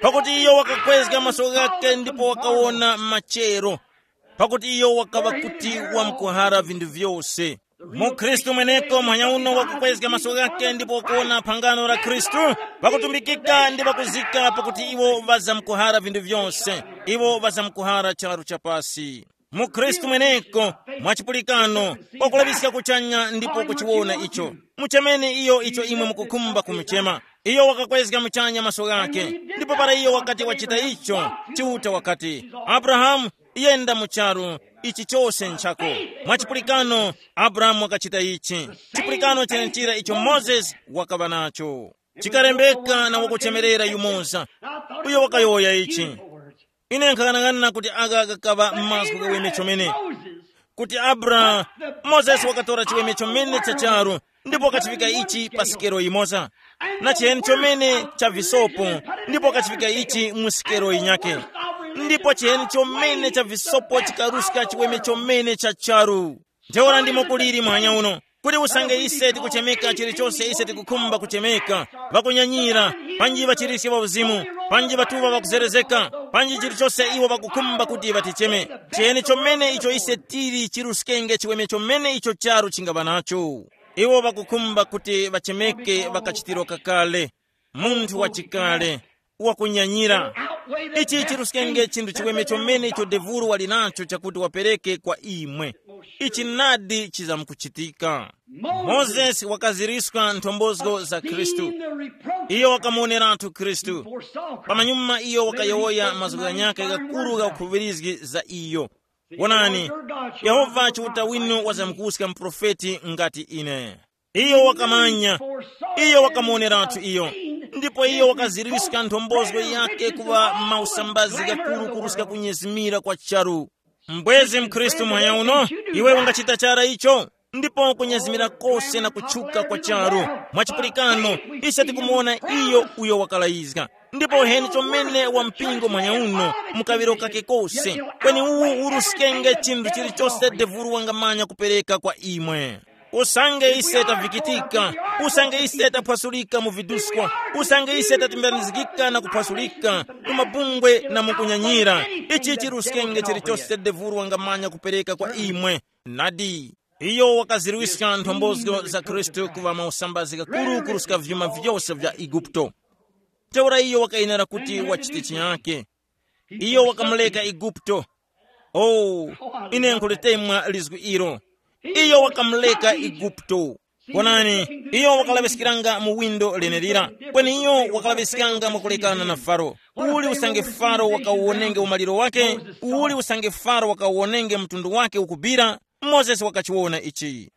pakuti iyo wakakwezga maso ghake ndipo wakawona machero, pakuti iyo wakaŵa kuti wamkuhara vinthu vyose. Mukhristu mweneko mhanya uno wakukwezga maso ghake ndipo wakuwona phangano la Khristu, pakutumbikika ndi pakuzika pakuti iwo ŵazamkuhara vinthu vyose, iwo ŵazamkuhara charu cha pasi. Mukhristu mweneko, mwachipulikano, wakulaŵiska kuchanya ndipo kuchiwona icho. Muchemeni iyo icho imwe mukukhumba kumuchema. Iyo wakakwezga muchanya maso ghake, ndipo para iyo wakati wachita icho, Chiuta wakati, Abrahamu, yenda mu charu, ichi chose nchako. Mwachipulikano, Abrahamu wakachita ichi. Chipulikano chenechira icho Mozesi wakaŵa nacho. Chikalembeka na wakuchemerera yumoza, uyo wakayowoya ichi. Ine nkhaghanaghana kuti agha ghakaŵa mazgu ghaweme chomene, kuti Abra, Mozesi wakatora chiweme chomene cha charu, ndipo wakachivika ichi pa sikelo yimoza, na chiheni chomene cha visopo, ndipo wakachivika ichi mu sikelo yinyake, ndipo chiheni chomene cha visopo chikaruska chiweme chomene cha charu. Ntheura ndimo kuliri mwanya uno, kuti usange ise tikuchemeka chilichonse ise tikukhumba kuchemeka, ŵakunyanyira, panji ŵachiriske ŵa uzimu, panji ŵatuŵa ŵakuzerezeka, panji chilichonse iwo ŵakukhumba kuti ŵaticheme. Chiyeni chomene icho ise tili chiruskenge chiweme chomene icho charu chingaŵa nacho. Iwo ŵakukhumba kuti ŵachemeke ŵakachitiro kakale, munthu wachikale, wakunyanyira. Ichi chiruskenge chinthu chiweme chomene icho devulu wali nacho chakuti wapereke kwa imwe. Ichi nadi chizamkuchitika. Mozesi wakaziriska nthombozo za Khristu. Iyo wakamuoneratu Khristu. Pamanyuma iyo wakayowoya mazgu ghanyakhe ghakuru gha ukhuŵirizgi za iyo. Wonani, Yehova Chiuta winu wazamkuska muprofeti ngati ine. Iyo wakamanya, iyo wakamuoneratu iyo, ndipo iyo wakaziriska nthombozo yake kuŵa mausambazi ghakuru kuruska kunyezimira kwa charu. Mbwezi mkhristu mwanya uno, iwe ungachita chara icho, ndipo kunyezimira kose na kutchuka kwa charu. Mwachipulikano, ise tikumuwona iyo uyo wakalayizga. Ndipo heni chomene wa mpingo mwanya uno, mukaŵiro kake kose, kweni uwu uruskenge chinthu chilichose devulu wangamanya kupereka kwa imwe. Usange ise tavikitika, usange ise taphwasulika mu viduskwa, usange ise tatimbanizgika na kuphwasulika mu mabungwe na mu kunyanyira, ichi chiruskenge chilichose devulu wangamanya kupereka kwa imwe. Nadi, iyo wakazirwiska nthombozo za Khristu kuŵa mausambazi ghakuru kuruska vyuma vyose vya Eguputo. Ntheura iyo wakayenera kuti wachite chiyake. Iyo wakamuleka Eguputo. Oh, ine nkulitemwa lizgu ilo. Iyo wakamuleka Eguputo. Wonani, iyo wakalaŵiskiranga mu windo lenelira, kweni iyo wakalaŵiskanga mwakulekana na Faro. Uli usange Faro wakawonenge umaliro wake, uli usange Faro wakawonenge mtundu wake ukubira, Mozesi wakachiwona ichi.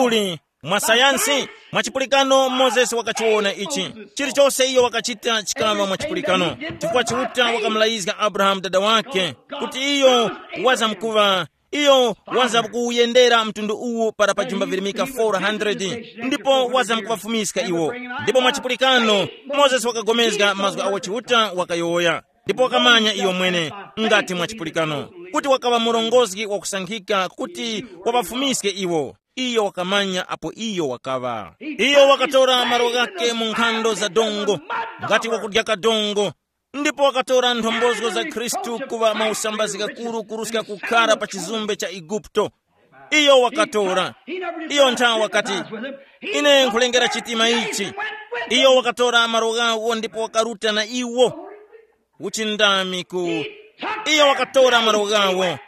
Uli, mwa sayansi, mwa chipulikano Mozesi wakachiwona ichi. Chilichonse iyo wakachita chikaŵa mwa chipulikano, chifukwa Chiuta wakamulayizga Abrahamu dada wake kuti iyo wazamkuŵa, iyo wazamkuyendera mtundu uwu para pa jumba virimika four hundred, ndipo wazamkuŵafumiska iwo. Ndipo mwa chipulikano, Mozesi wakagomezga mazgu awo Chiuta wakayowoya. Ndipo wakamanya iyo mwene, ngati mwa chipulikano, kuti wakaŵa murongozgi wakusankhika kuti waŵafumiske iwo. Iyo wakamanya apo iyo wakaŵa. Iyo wakatora malo ghake mu nkhando za dongo, ngati wakudya kadongo, ndipo wakatora nthombozo za Khristu kuŵa mausambazi ghakuru kuruska kukhara pa chizumbe cha Eguputo. Iyo wakatora. Iyo nthawi wakati, ine nkhulengera chitima ichi. Iyo wakatora malo ghawo ndipo wakaruta na iwo. Uchindami ku iyo wakatora malo ghawo,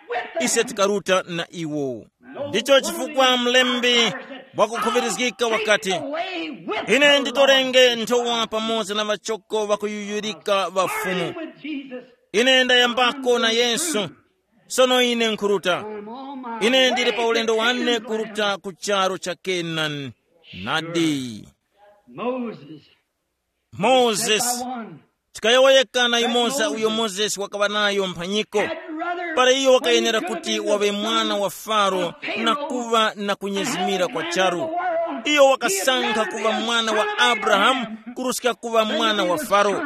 ise tikaruta na iwo. Ndicho chifukwa mlembi wakukhuŵirizgika wakati, ine nditorenge nthowa pamoza na ŵachoko ŵakuyuyurika ŵa Fumu. Ine ndayambako na Yesu, sono ine nkhuruta. Ine ndili pa ulendo wane kuruta ku charu cha Kenani. Nadi. Moses. Moses. Tikayowoyeka na yumoza uyo Moses wakaŵa nayo mphanyiko. Para iyo wakayenera kuti waŵe mwana wa Faro na kuŵa na kunyezimira kwa charu. Iyo wakasankha kuŵa mwana wa Abrahamu kuruska kuŵa mwana wa Faro,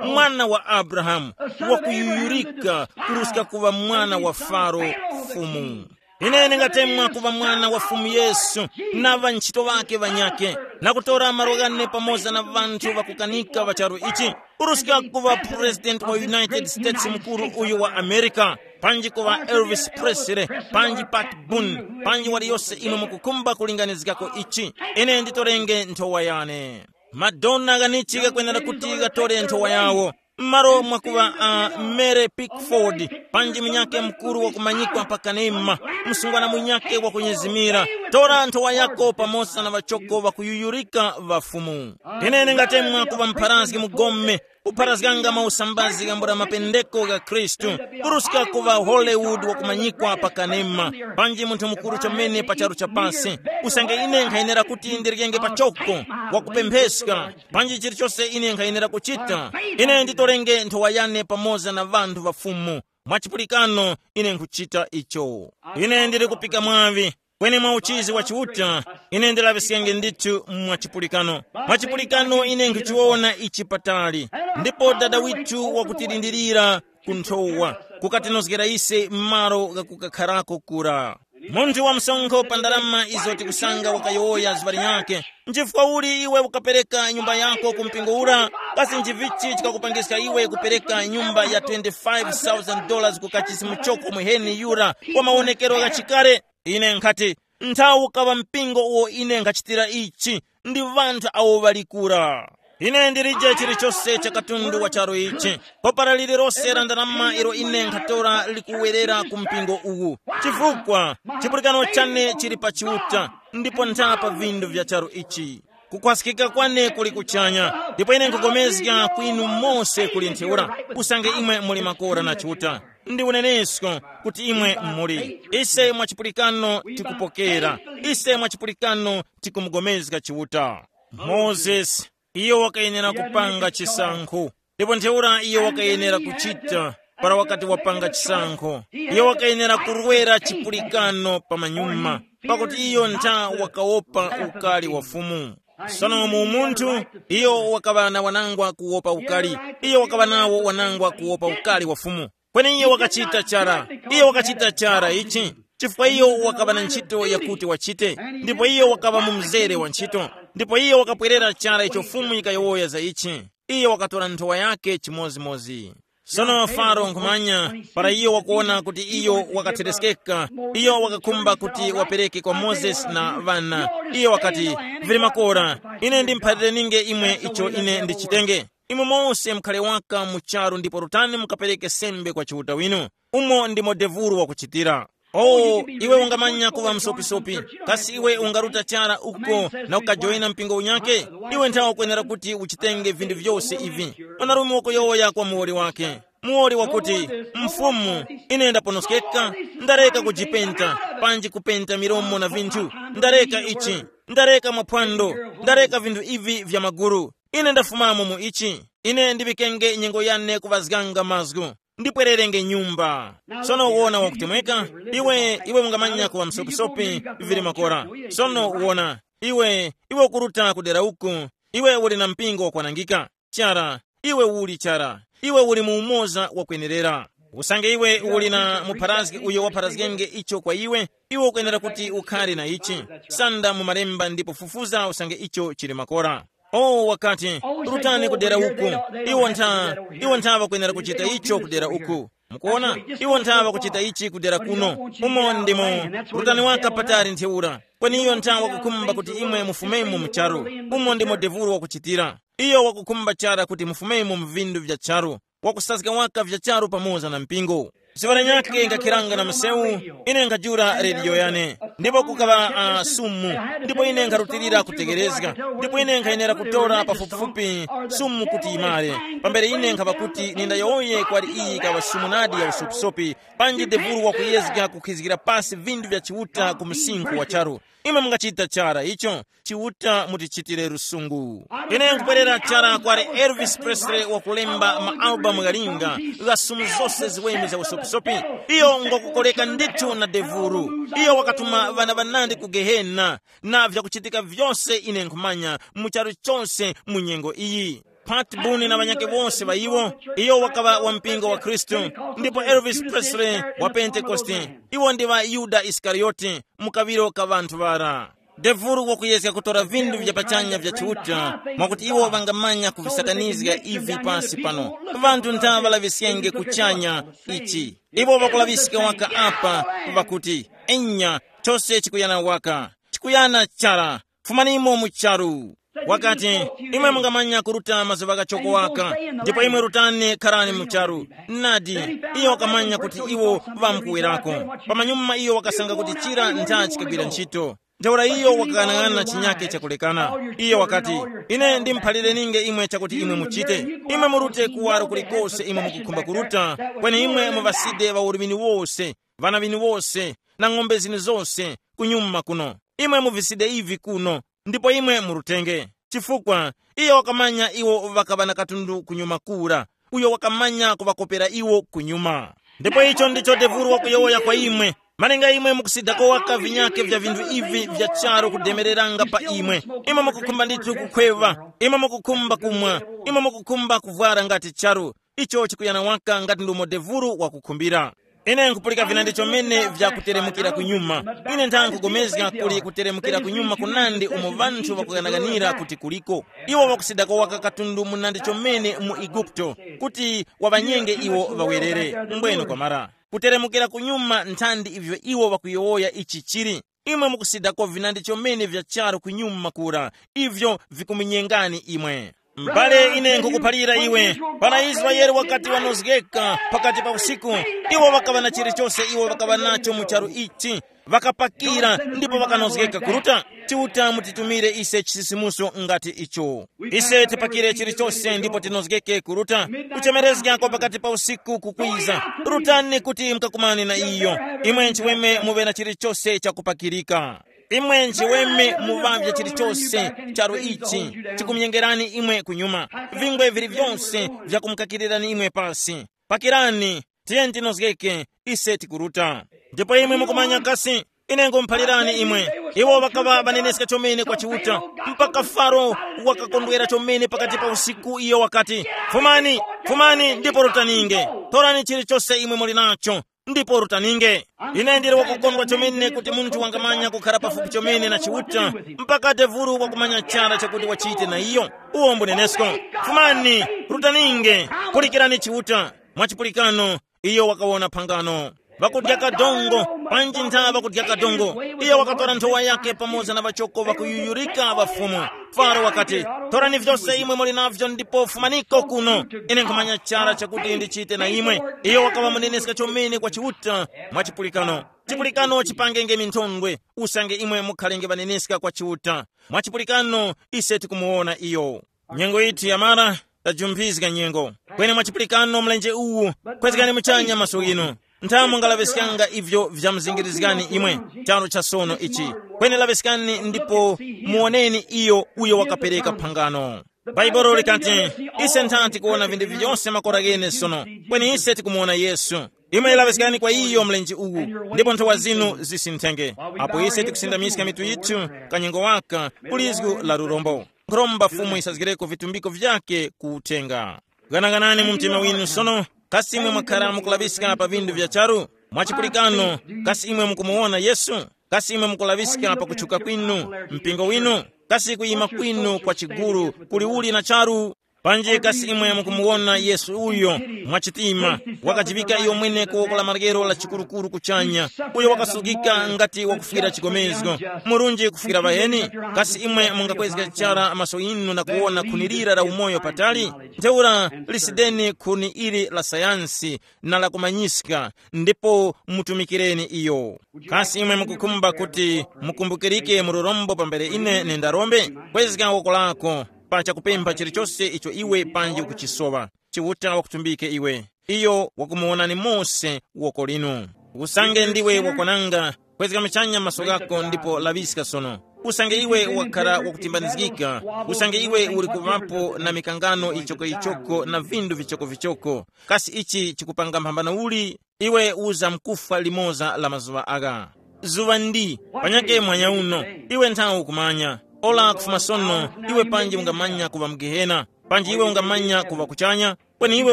mwana wa Abrahamu, wakuyuyurika kuruska kuŵa mwana wa Faro, fumu. Ine ndingatemwa kuŵa mwana wa Fumu Yesu na ŵanchito ŵake ŵanyakhe, na kutora malo ghane pamoza na ŵanthu ŵakukanika ŵa charu ichi, kuruska kuŵa President wa United States mukuru uyu wa America, panji kuŵa Elvis Presley, panji Pat Boone, panji waliyose imwe mukukhumba kulinganizgako ichi. Ine nditorenge nthowa yane. Madonna ghanichi ghakwenera kuti ghatore nthowa yawo. M'malo mwakuŵa uh, Mary Pickford, panji munyakhe mukuru wakumanyikwa pa kanema, msungwana munyakhe wakunyezimira, tora nthowa yako pamoza na ŵachoko ŵakuyuyurika ŵa Fumu. Ine ndingatemwa kuŵa mpharazgi mugome, kupharazganga mausambazi gambula mapendeko gha Khristu, kuruska kuŵa Hollywood wakumanyikwa pa kanema, panji munthu mukuru chomene pa charu cha pasi. Usange ine nkhayenera kuti ndiryenge pachoko, wakupempheska, panji chilichose ine nkhayenera kuchita, ine nditorenge nthowa yane pamoza na ŵanthu ŵa Fumu. Mwachipulikano, ine nkhuchita icho. Ine ndili kupika mwaŵi, kweni mwa uchizi wa Chiuta, ine ndilaŵiskenge ndithu mwachipulikano. Mwachipulikano ine nkhuchiwona ichi patali, ndipo Dada withu wakutilindirira ku nthowa, kukatinozgera ise m'malo ghakukakharako kura. Munthu wa msonkho pa ndalama izo tikusanga wakayowoya zuŵa linyakhe, nchifukwa uli iwe ukapereka nyumba yako ku mpingo ura? Kasi nchivichi chikakupangiska iwe kupereka nyumba ya twenty-five thousand dollars ku kachisi muchoko muheni yura wa mawonekero ghachikale? Ine nkhati, nthawi ukaŵa mpingo uwo ine nkhachitira ichi, ndi ŵanthu awo ŵalikura. Ine ndilije chilichose cha katundu wa charu ichi, popara lililose la ndalama ilo ine nkhatora likuwerera ku mpingo uwu, chifukwa chipulikano chane chili pa Chiuta, ndipo ntha pa vindu vya charu ichi. Kukhwaskika kwane kuli kuchanya, ndipo ine nkupulikana kwinu mose kuli ntheura, usange imwe muli makora na Chiuta. Ndi unenesko kuti imwe muli. Ise mwachipulikano tikupokera. Ise mwachipulikano tikumugomezga Chiuta. Mozesi, iyo wakayenera kupanga chisankho, ndipo ntheura iyo wakayenera kuchita para wakati wapanga chisankho. Iyo wakayenera kurwera chipulikano pa manyuma, pakuti iyo ntha wakawopa ukali wa Fumu. Sono mu umunthu, iyo wakaŵa na wanangwa kuwopa ukali. Iyo wakaŵa nawo wanangwa kuwopa ukali wa Fumu. Kweni iyo wakachita chara. Iyo wakachita chara ichi, chifukwa iyo wakaŵa na ntchito yakuti wachite, ndipo iyo wakaŵa mu mzere wa ntchito. Ndipo iyo wakapwerera chara icho Fumu yikayowoya za ichi. Iyo wakatora nthowa yake chimozimozi. Sono Faro nkhumanya, para iyo wakuwona kuti iyo wakathireskeka, iyo wakakhumba kuti wapereke kwa Mozesi na ŵana. Iyo wakati, vili makora, ine ndimphalirininge imwe icho ine ndichitenge. Imwe mose mukhale waka mu charu ndipo rutani mukapereke sembe kwa Chiuta winu. Umo ndimo devulu wakuchitira. Oh, iwe ungamanya kuŵa msopisopi, kasi iwe ungaruta chara uko na ukajoyina mpingo unyake? Iwe nthawe ukwenera kuti uchitenge vinthu vyose ivi. Mwanarume wakuyowoya kwa muwoli wake. Muwoli wakuti, mfumu, ine ndaponoskeka, ndareka kujipenta, panji kupenta milomo na vinthu, ndareka ichi, ndareka maphwando, ndareka vinthu ivi vya maguru. Ine ndafumamo mu ichi. Ine ndiŵikenge nyengo yane kuŵazganga mazgu, ndipwererenge nyumba. Sono wona wakutemweka, iwe iwe ungamanya kuŵa msopisopi, vili makora. Sono wona, iwe iwe ukuruta kudera uku, iwe uli na mpingo wakwanangika. Chara, iwe uli chara, iwe uli mu umoza wakwenerera. Usange iwe uli na mupharazgi uyo wapharazgenge icho kwa iwe, iwe ukwenera kuti ukhare na ichi. Sanda mu malemba ndipo fufuza usange icho chili makora. Oh, wakati, rutani kudera uku. Iwo ntha, iwo ntha ŵakwenera kuchita icho kudera uku. Mukuona, iwo ntha ŵakuchita ichi kudera kuno. Umo ndimo, rutani waka patali ntheura. Kweni iyo ntha wakukhumba kuti imwe mufumemo mu charu. Umo ndimo devulu wakuchitira. Iyo wakukhumba chara kuti mufumemo mu vindu vya charu. Wakusazga waka vya charu pamoza na mpingo. Zuŵa lanyakhe ngakhiranga na msewu, ine nkajula rediyo yane, ndipo kukaŵa uh, sumu, ndipo ine nkharutilira kutegerezga, ndipo ine nkhayenera kutora pafupifupi sumu kuti imare. Pambere ine nkhapa kuti nindayowoye kwali iyi ikaŵa sumu nadi ya usopisopi, panji devulu wakuyezga kukhizgira pasi vindu vya Chiuta ku msinkhu wa charu. Imwe mungachita chara icho, Chiuta mutichitire lusungu. Ine nkubwerera chara kwali Elvis Presley wakulemba ma albamu ghalinga, gha sumu zose ziweme za usopisopi. Sopi, iyo ngokukoleka ndithu na devuru. Iyo wakatuma ŵana ŵanandi ku gehena, na vyakuchitika vyose ine nkhumanya mu charu chose mu nyengo iyi. Pat Boone na ŵanyakhe wose ŵa iwo, iyo wakaŵa wa mpingo wa Khristu, ndipo Elvis Presley wa Pentekoste, iwo ndi ŵa Yuda Isikariyote, mu kaŵiro ka ŵanthu ŵara. Devuru wakuyezga kutora vinthu vya pachanya vya Chiuta, mwakuti iwo ŵangamanya kuvisakanizga ivi pasi pano. Ŵanthu ntha ŵalaŵiskenge kuchanya ichi. Iwo ŵakulaŵiska waka apa, ŵakuti, enya, chose chikuyana waka, chikuyana chara, fumanimo mu charu. Wakati, imwe mungamanya kuruta mazuŵa kachoko waka, ndipo imwe rutani kharani mu charu. Nadi, iyo wakamanya kuti iwo ŵamkuwerako. Pamanyuma iyo wakasanga kuti chira ntha chikagwira ntchito. Ntheura iyo wakang'anang'ana chinyake chakulekana. Iyo wakati, ine ndimuphalire ninge imwe chakuti imwe muchite. Imwe murute kuwaro kulikose imwe mukukhumba kuruta, kweni imwe muŵaside ŵaurumini wose, ŵana ŵinu wose, na ng'ombe zinu zose, kunyuma kuno. Imwe muviside ivi kuno, ndipo imwe murutenge. Chifukwa iyo wakamanya iwo ŵakaŵa na katundu kunyuma kura, uyo wakamanya kuŵakopera iwo kunyuma. Ndipo icho ndicho devuru wakuyowoya kwa imwe. Malinga imwe mukusidako waka vinyake vya vinthu ivi vya charu kudemereranga pa imwe, imwe mukukhumba ndithu kukhweva, imwe mukukhumba kumwa, imwe mukukhumba kuvwara ngati charu, icho chikuyana waka ngati ndumo devuru wakukhumbira. Ine nkupulika vinandi chomene vya kuteremukira kunyuma. Ine ntha nkugomezga kuli kuteremukira kunyuma kunandi umo vanthu ŵakuganaganira kuti kuliko. Iwo ŵakusidako waka katundu munandi chomene mu Igupto, kuti waŵanyenge iwo ŵawerere. Mbweno kwamara, kuteremukira kunyuma nthandi ivyo iwo ŵakuyowoya ichi chili. Imwe mukusidako vinandi chomene vya charu kunyuma kura, ivyo vikumunyengani imwe. M'bale, ine nkukuphalira iwe, para Israele wakati wanozgeka pakati pa usiku, iwo ŵakaŵa na chilichose iwo ŵakaŵa nacho mu charu ichi, ŵakapakira ndipo ŵakanozgeka kuruta. Chiuta mutitumire ise chisisimuso ngati icho. Ise tipakire chilichose ndipo tinozgeke kuruta. Kuchemerezga kwa pakati pa usiku kukwiza. Rutani kuti mukakumane na iyo. Imwe nchiweme muŵe na chilichose chakupakirika. Imwe nchiweme muŵavye chilichose charu ichi chikumyengerani imwe kunyuma. Vingwe vili vyonse vyakumukakirirani imwe pasi. Pakirani, tiyeni tinozgeke, ise tikuruta. Ndipo imwe mukumanya kasi, ine ngumuphalirani imwe, iwo ŵakaŵa ŵaneneska chomene kwa Chiuta, mpaka Faro wakakondwera chomene pakati pa usiku, iyo wakati, fumani, fumani ndipo rutaninge, torani chilichose imwe muli nacho, ndipo rutaninge. Ine ndili wakukondwa chomene kuti munthu wangamanya kukhara pafupi chomene na Chiuta, mpaka devulu wakumanya chara chakuti wachite na iyo. Uwo mbunenesko. Fumani, rutaninge, pulikirani Chiuta. Mwachipulikano, iyo wakawona phangano. Ŵakudya kadongo, panji ntha ŵakudya kadongo. Iyo wakatora nthowa yake pamoza na ŵachoko ŵakuyuyurika ŵa Fumu. Faro wakati, torani vyose imwe muli navyo ndipo fumaniko kuno. Ine nkhumanya chara chakuti ndichite na imwe. Iyo wakaŵa muneneska chomene kwa Chiuta. Mwachipulikano, chipulikano chipangenge minthondwe, usange imwe mukhalenge ŵaneneska kwa Chiuta. Mwachipulikano, ise tikumuwona iyo. Nyengo yithu yamara, tajumphizga nyengo. Kweni mwachipulikano mlenje uwu, kwezgani muchanya maso ghinu. Nthamu ngalaŵiskanga ivyo vyamuzingirizgani imwe, charu cha sono ichi. Kweni laŵiskani ndipo muwoneni iyo uyo wakapereka phangano. Bhaibuli likati, ise ntha tikuwona vinthu vyose makora ghene sono, kweni ise tikumuwona Yesu. Imwe laŵiskani kwa iyo mlenje uwu, ndipo nthowa zinu zisinthenge. Apo ise tikusindamiska mitu yithu, kanyengo waka, ku lizgu la lurombo. Nkhuromba Fumu yisazgireko vitumbiko vyake ku uthenga. Ghanaghanani mu mtima winu sono, kasi imwe mwakhara mukulaŵiska pa vinthu vya charu? Mwachipulikano, kasi imwe mukumuwona Yesu? Kasi imwe mukulaŵiska pa kutchuka kwinu, mpingo winu? Kasi kuyima kwinu kwa chiguru kuli uli na charu? Panji kasi imwe mukumuwona Yesu uyo mwachitima, wakajivika iyo mwene ku woko la maryero la chikurukuru kuchanya, uyo wakasungika ngati wakufwira chigomezgo, murunji kufwira ŵaheni? Kasi imwe mungakwezga chara maso inu na kuwona khuni lira la umoyo patali? Ntheura lisideni khuni ili la sayansi na lakumanyiska, ndipo mutumikireni iyo. Kasi imwe mukukhumba kuti mukumbukirike mu lurombo pambere ine nindarombe? Kwezga woko lako pa chakupempha chilichose icho iwe panji ukuchisowa. Chiuta wakutumbike iwe. Iyo wakumuwonani mose woko linu. Usange ndiwe wakwananga, kwezga muchanya maso ghako ndipo laŵiska sono. Usange iwe wakhara wakutimbanizgika, usange iwe uli kuŵapo na mikangano yichokoyichoko na vindu vichokovichoko, kasi ichi chikupanga mphambano uli? Iwe uzamkufwa limoza la mazuŵa agha. Zuŵa ndi panyake mwanya uno. Iwe nthawi ukumanya. Ola kufuma sono, iwe panji ungamanya kuŵa mu Gehena, panji iwe ungamanya kuŵa kuchanya. Kweni iwe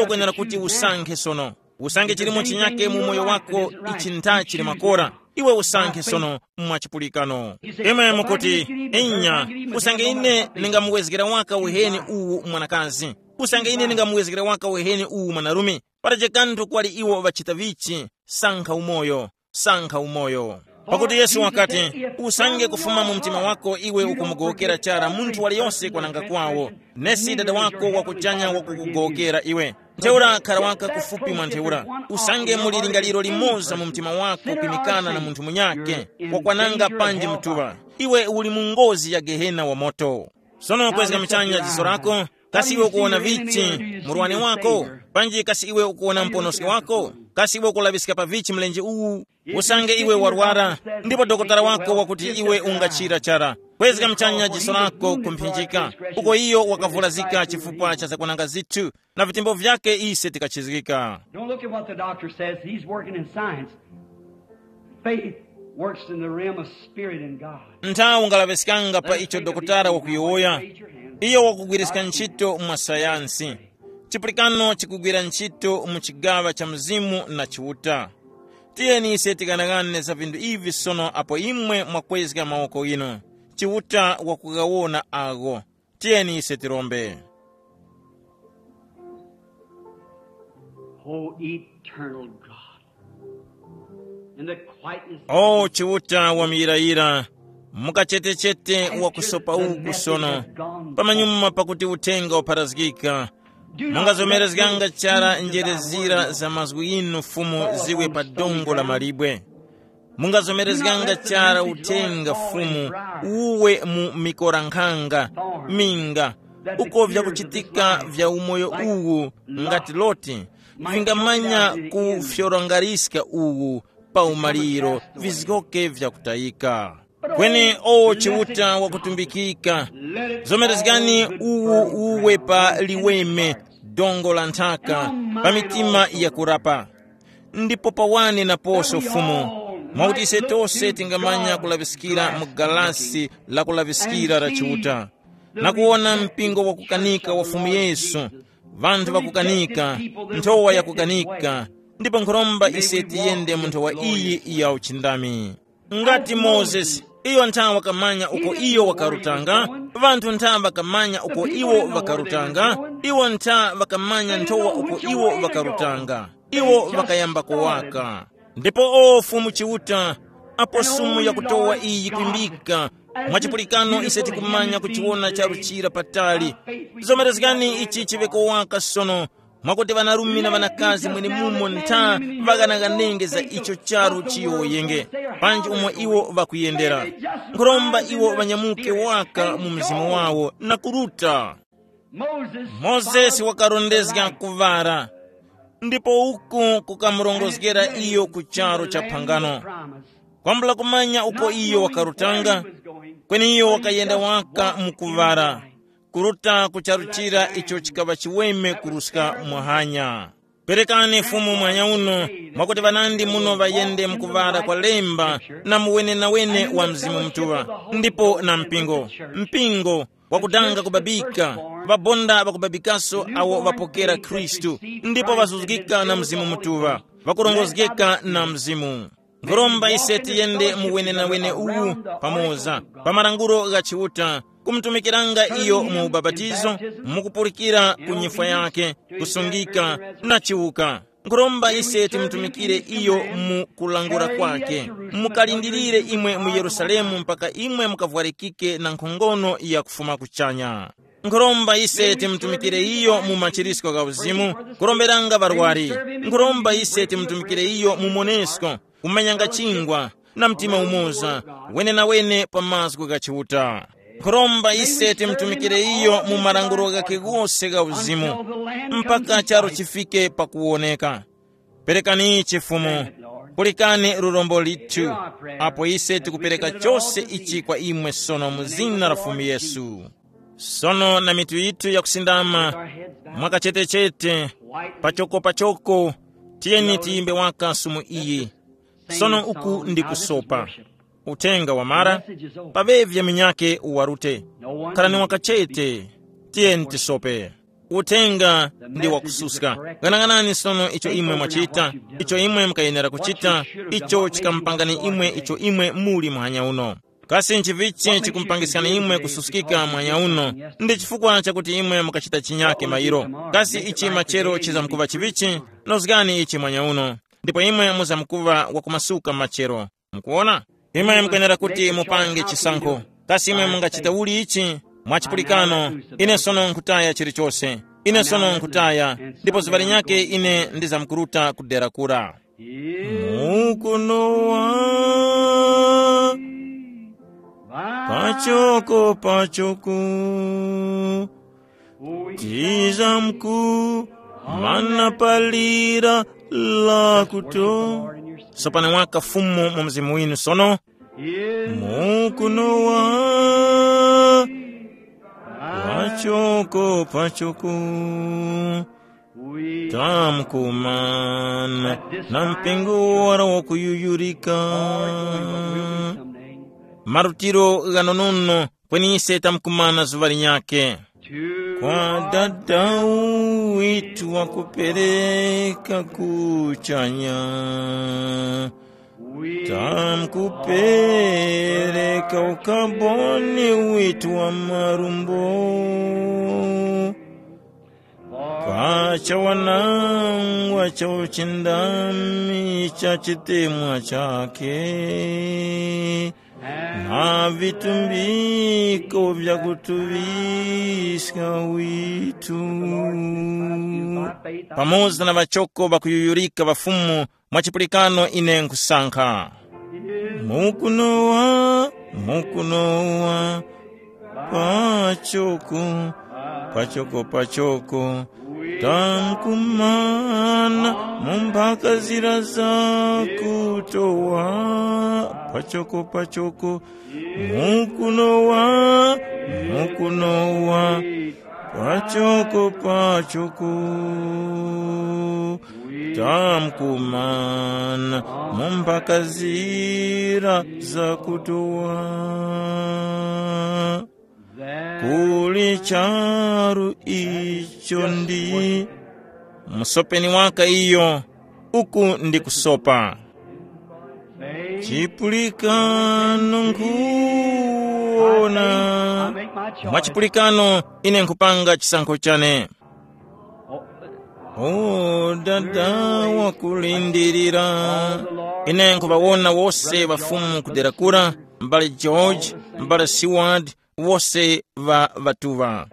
ukwenera kuti usankhe sono. Usankhe chilimo chinyake mu moyo wako. Ichi ntha chili makora. Iwe usankhe sono. Mwa chipulikano, imwe mukuti, inya, usange ine ndingamuwezgera waka uheni uwu mwanakazi, usange ine ndingamuwezgera waka uheni uwu mwanarume, patache kanthu kwali iwo ŵachita vichi. Sankha umoyo. Sankha umoyo. Pakuti Yesu wakati, usange kufuma mu mtima wako iwe ukumugowokera chara munthu waliyonse kwananga kwawo, nesi Dada wako wakuchanya wakukugowokera iwe. Ntheura khara waka kufupi mwa ntheura. Usange muli lingaliro limoza mu mtima wako kwimikana na munthu munyake, wakwananga panji mtuŵa, iwe uli mu ngozi ya gehena wa moto. Sono kwezga mchanya jiso lako. Kasi iwe ukuwona vichi? Murwani wako? Panji kasi iwe ukuwona mponoski wako? Kasi iwe ukulaŵiska pa vichi mlenje uwu? Usange iwe warwara, ndipo dokotala wako wakuti iwe ungachira chara, kwezga mchanya jiso lako kumphinjika, uko iyo wakavulazika chifukwa cha zakwananga zithu, na vitembo vyake ise tikachizgika. Don't look at what the doctor says. He's working in science. Faith works in the realm of spirit and God. Nthawi ungalaŵiskanga pa icho dokotala wakuyowoya. Iyo wakugwiriska ntchito mwa sayansi. Chipulikano chikugwira ntchito mu chigaŵa cha mzimu na chiuta. Tiyeni ise tikanang'ane za vinthu ivi sono apo imwe mwakwezga mawoko inu. Chiuta wakughawona agho. Tiyeni ise tirombe. Oh, eternal God. In the quietness of O Chiuta wa muyirayira, mukachetechete wa kusopa uku sono, pamanyuma pakuti uthenga wapharazgika, mungazomerezganga chara njerezira za mazgu inu Fumu ziwe pa dongo la malibwe. Mungazomerezganga chara uthenga Fumu uwe mu mikorankhanga minga, uko vyakuchitika vya umoyo uwu ngati Loti vingamanya kufyorongariska uwu pa umaliro vizgoke vyakutayika. Kweni o Chiuta wakutumbikika, zomerezgani uwu uwe pa liweme, dongo la nthaka, pa mitima yakurapa. Ndipo pawane naposo Fumu, mwakuti ise tose tingamanya kulaŵiskira mu galasi la kulaŵiskira la Chiuta, na kuwona mpingo wakukanika wa Fumu Yesu, ŵanthu ŵakukanika, nthowa yakukanika, ndipo nkhuromba ise tiyende mu nthowa iyi ya uchindami. Ngati Mozesi, iyo ntha wakamanya uko iyo wakarutanga, ŵanthu ntha ŵakamanya uko iwo ŵakarutanga, iwo ntha ŵakamanya nthowa uko iwo ŵakarutanga, iwo ŵakayamba kuwaka. Ndipo o Fumu Chiuta, apo sumu yakutowa iyi kwimbika, mwachipulikano ise tikumanya kuchiwona charu chira patali. Zomerezgani ichi chiŵe kowaka sono, mwakuti ŵanarume na ŵanakazi mwenemumo ntha ŵaghanaghanenge za icho charu chiyowoyenge, panji umo iwo ŵakuyendera. Nkhuromba iwo ŵanyamuke waka mu mzimu wawo na kuruta. Mozesi wakarondezga kuŵala, ndipo uku kukamurongozgera iyo ku charu cha phangano. Kwambula kumanya uko iyo wakarutanga, kweni iyo wakayenda waka mu kuŵala, kuruta ku charu chira icho chikaŵa chiweme kuruska muhanya. Perekani Fumu mwanya uno, mwakuti ŵanandi muno ŵayende mu kuŵala kwa lemba na mu wenenawene wa Mzimu Mutuŵa, ndipo na mpingo. Mpingo wakudanga kubabika, ŵabonda ŵakubabikaso awo ŵapokera Khristu, ndipo ŵazuzgika na Mzimu Mutuŵa, ŵakurongozgeka na Mzimu. Nkhuromba ise tiyende mu wenenawene uwu pamoza, pa malangulo gha Chiuta, kumutumikiranga iyo mu ubapatizo, mu kupulikira ku nyifwa yake, kusungika, na chiwuka. Nkhuromba ise timutumikire iyo mu kulangula kwake. Mukalindirire imwe mu Yerusalemu mpaka imwe mukavwarikike na nkhongono ya kufuma kuchanya. Nkhuromba ise timutumikire iyo mu machirisko gha uzimu, kuromberanga ŵarwari. Nkhuromba ise timutumikire iyo mu monesko, kumanyanga chingwa, na mtima umoza, wenenawene pa mazgu gha Chiuta. Nkhuromba ise timutumikire iyo mu malangulo ghakhe ghose gha uzimu, mpaka charo chifike pakuwoneka. Perekani ichi Fumu, pulikani lurombo lithu, apo ise tikupereka chose ichi kwa imwe sono mu zina la Fumu Yesu. Sono na mitu yithu yakusindama, mwakachetechete, pachoko pachoko, Tiyeni tiyimbe waka sumu iyi. Sono uku ndi kusopa. Uthenga wamara, paŵevye minyake uwarute. Khalani wakachete, tiyeni tisope. Uthenga ndi wakususka. Ghanaghanani sono icho imwe mwachita, icho imwe mukayenera kuchita, icho chikamupangani imwe icho imwe muli muhanya uno. Kasi nchivichi chikumupangiskani imwe kususkika muhanya uno? Ndi chifukwa chakuti imwe mukachita chinyake mayiro. Kasi ichi machero chizamkuŵa chivichi? Nozgani ichi muhanya uno, ndipo imwe muzamkuŵa wakumasuka machero. Mukuwona? Imwe mukwenera kuti mupange chisankho. Kasi imwe mungachita uli ichi? Mwachipulikano, ine sono nkutaya chilichose. Ine sono nkutaya, ndipo zuŵa linyake ine ndizamkuruta ku dera kura. Mukunowa pachoko pachoko, tizamku mana palira lakuto. Sopani waka Fumu mu mzimu winu sono. Mukunowa pachoko pachoko, tamkumana na mpingo wara wakuyuyurika. Marutiro ghanonono, kweni ise tamkumana zuŵa linyake. Kwa Dada witu wakupereka kuchanya, tamkupereka ukaboni witu wa marumbo. Pachawanangwa cha uchindami cha chitemwa chake, na vitumbiko vya kutuŵiska witu. Pamoza na ŵachoko ŵakuyuyurika ŵafumu, mwa chipulikano ine nkusankha. Mukunowa, mukunowa, pachoko, pachoko, pachoko, tamkumana mu mphaka zira za kutowa, pachoko, pachoko, mukunowa, mukunowa, pachoko, pachoko, tamkumana mu mphaka zira za kutowa. Kuli charu icho ndi musopeni waka iyo, uku ndi kusopa. Chipulikano nkhuwona. Mwa chipulikano ine nkhupanga chisankho chane. O Dada wakulindirira, ine nkhuŵawona wose ŵafumu kudera kura, m'bale George, m'bale Seward, wose ŵa ŵatuŵa.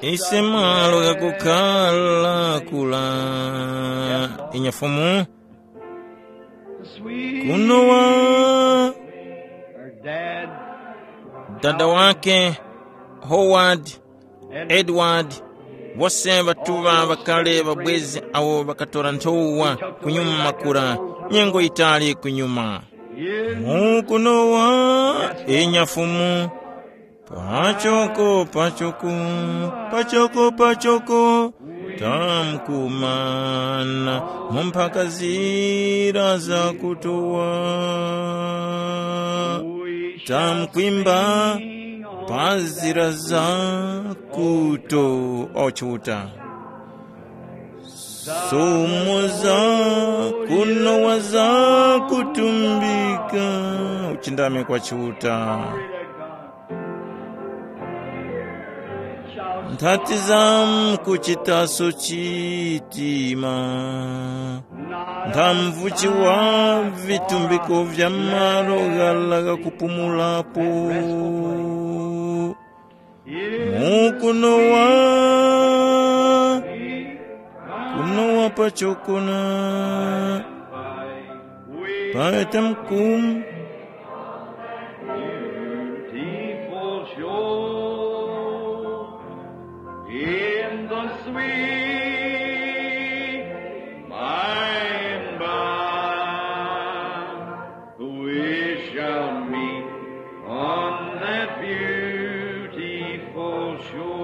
Ise malo ghakukhala kula. Inya Fumu, kunowa dada wake, Howard, Edward, wose ŵatuŵa ŵakale ŵabwezi awo ŵakatora nthowa kunyuma makura, nyengo yitali kunyuma. Mukunowa, inya Fumu, pachoko, pachoko, pachoko, pachoko, tamkumana mu mphaka zira za kutowa. Tamkwimba pa zira za kuto ochuta. Sumu za kunowa za kutumbika uchindami kwa Chiuta. Nthati za mkuchitaso chitima. Nthamvuchi wa vitumbiko vya malo ghala ghakupumulapo. Mukunowa, kunowa pachokona. Pata mkumu. Beautiful shore in the sweet by and by, we shall meet on that beautiful shore.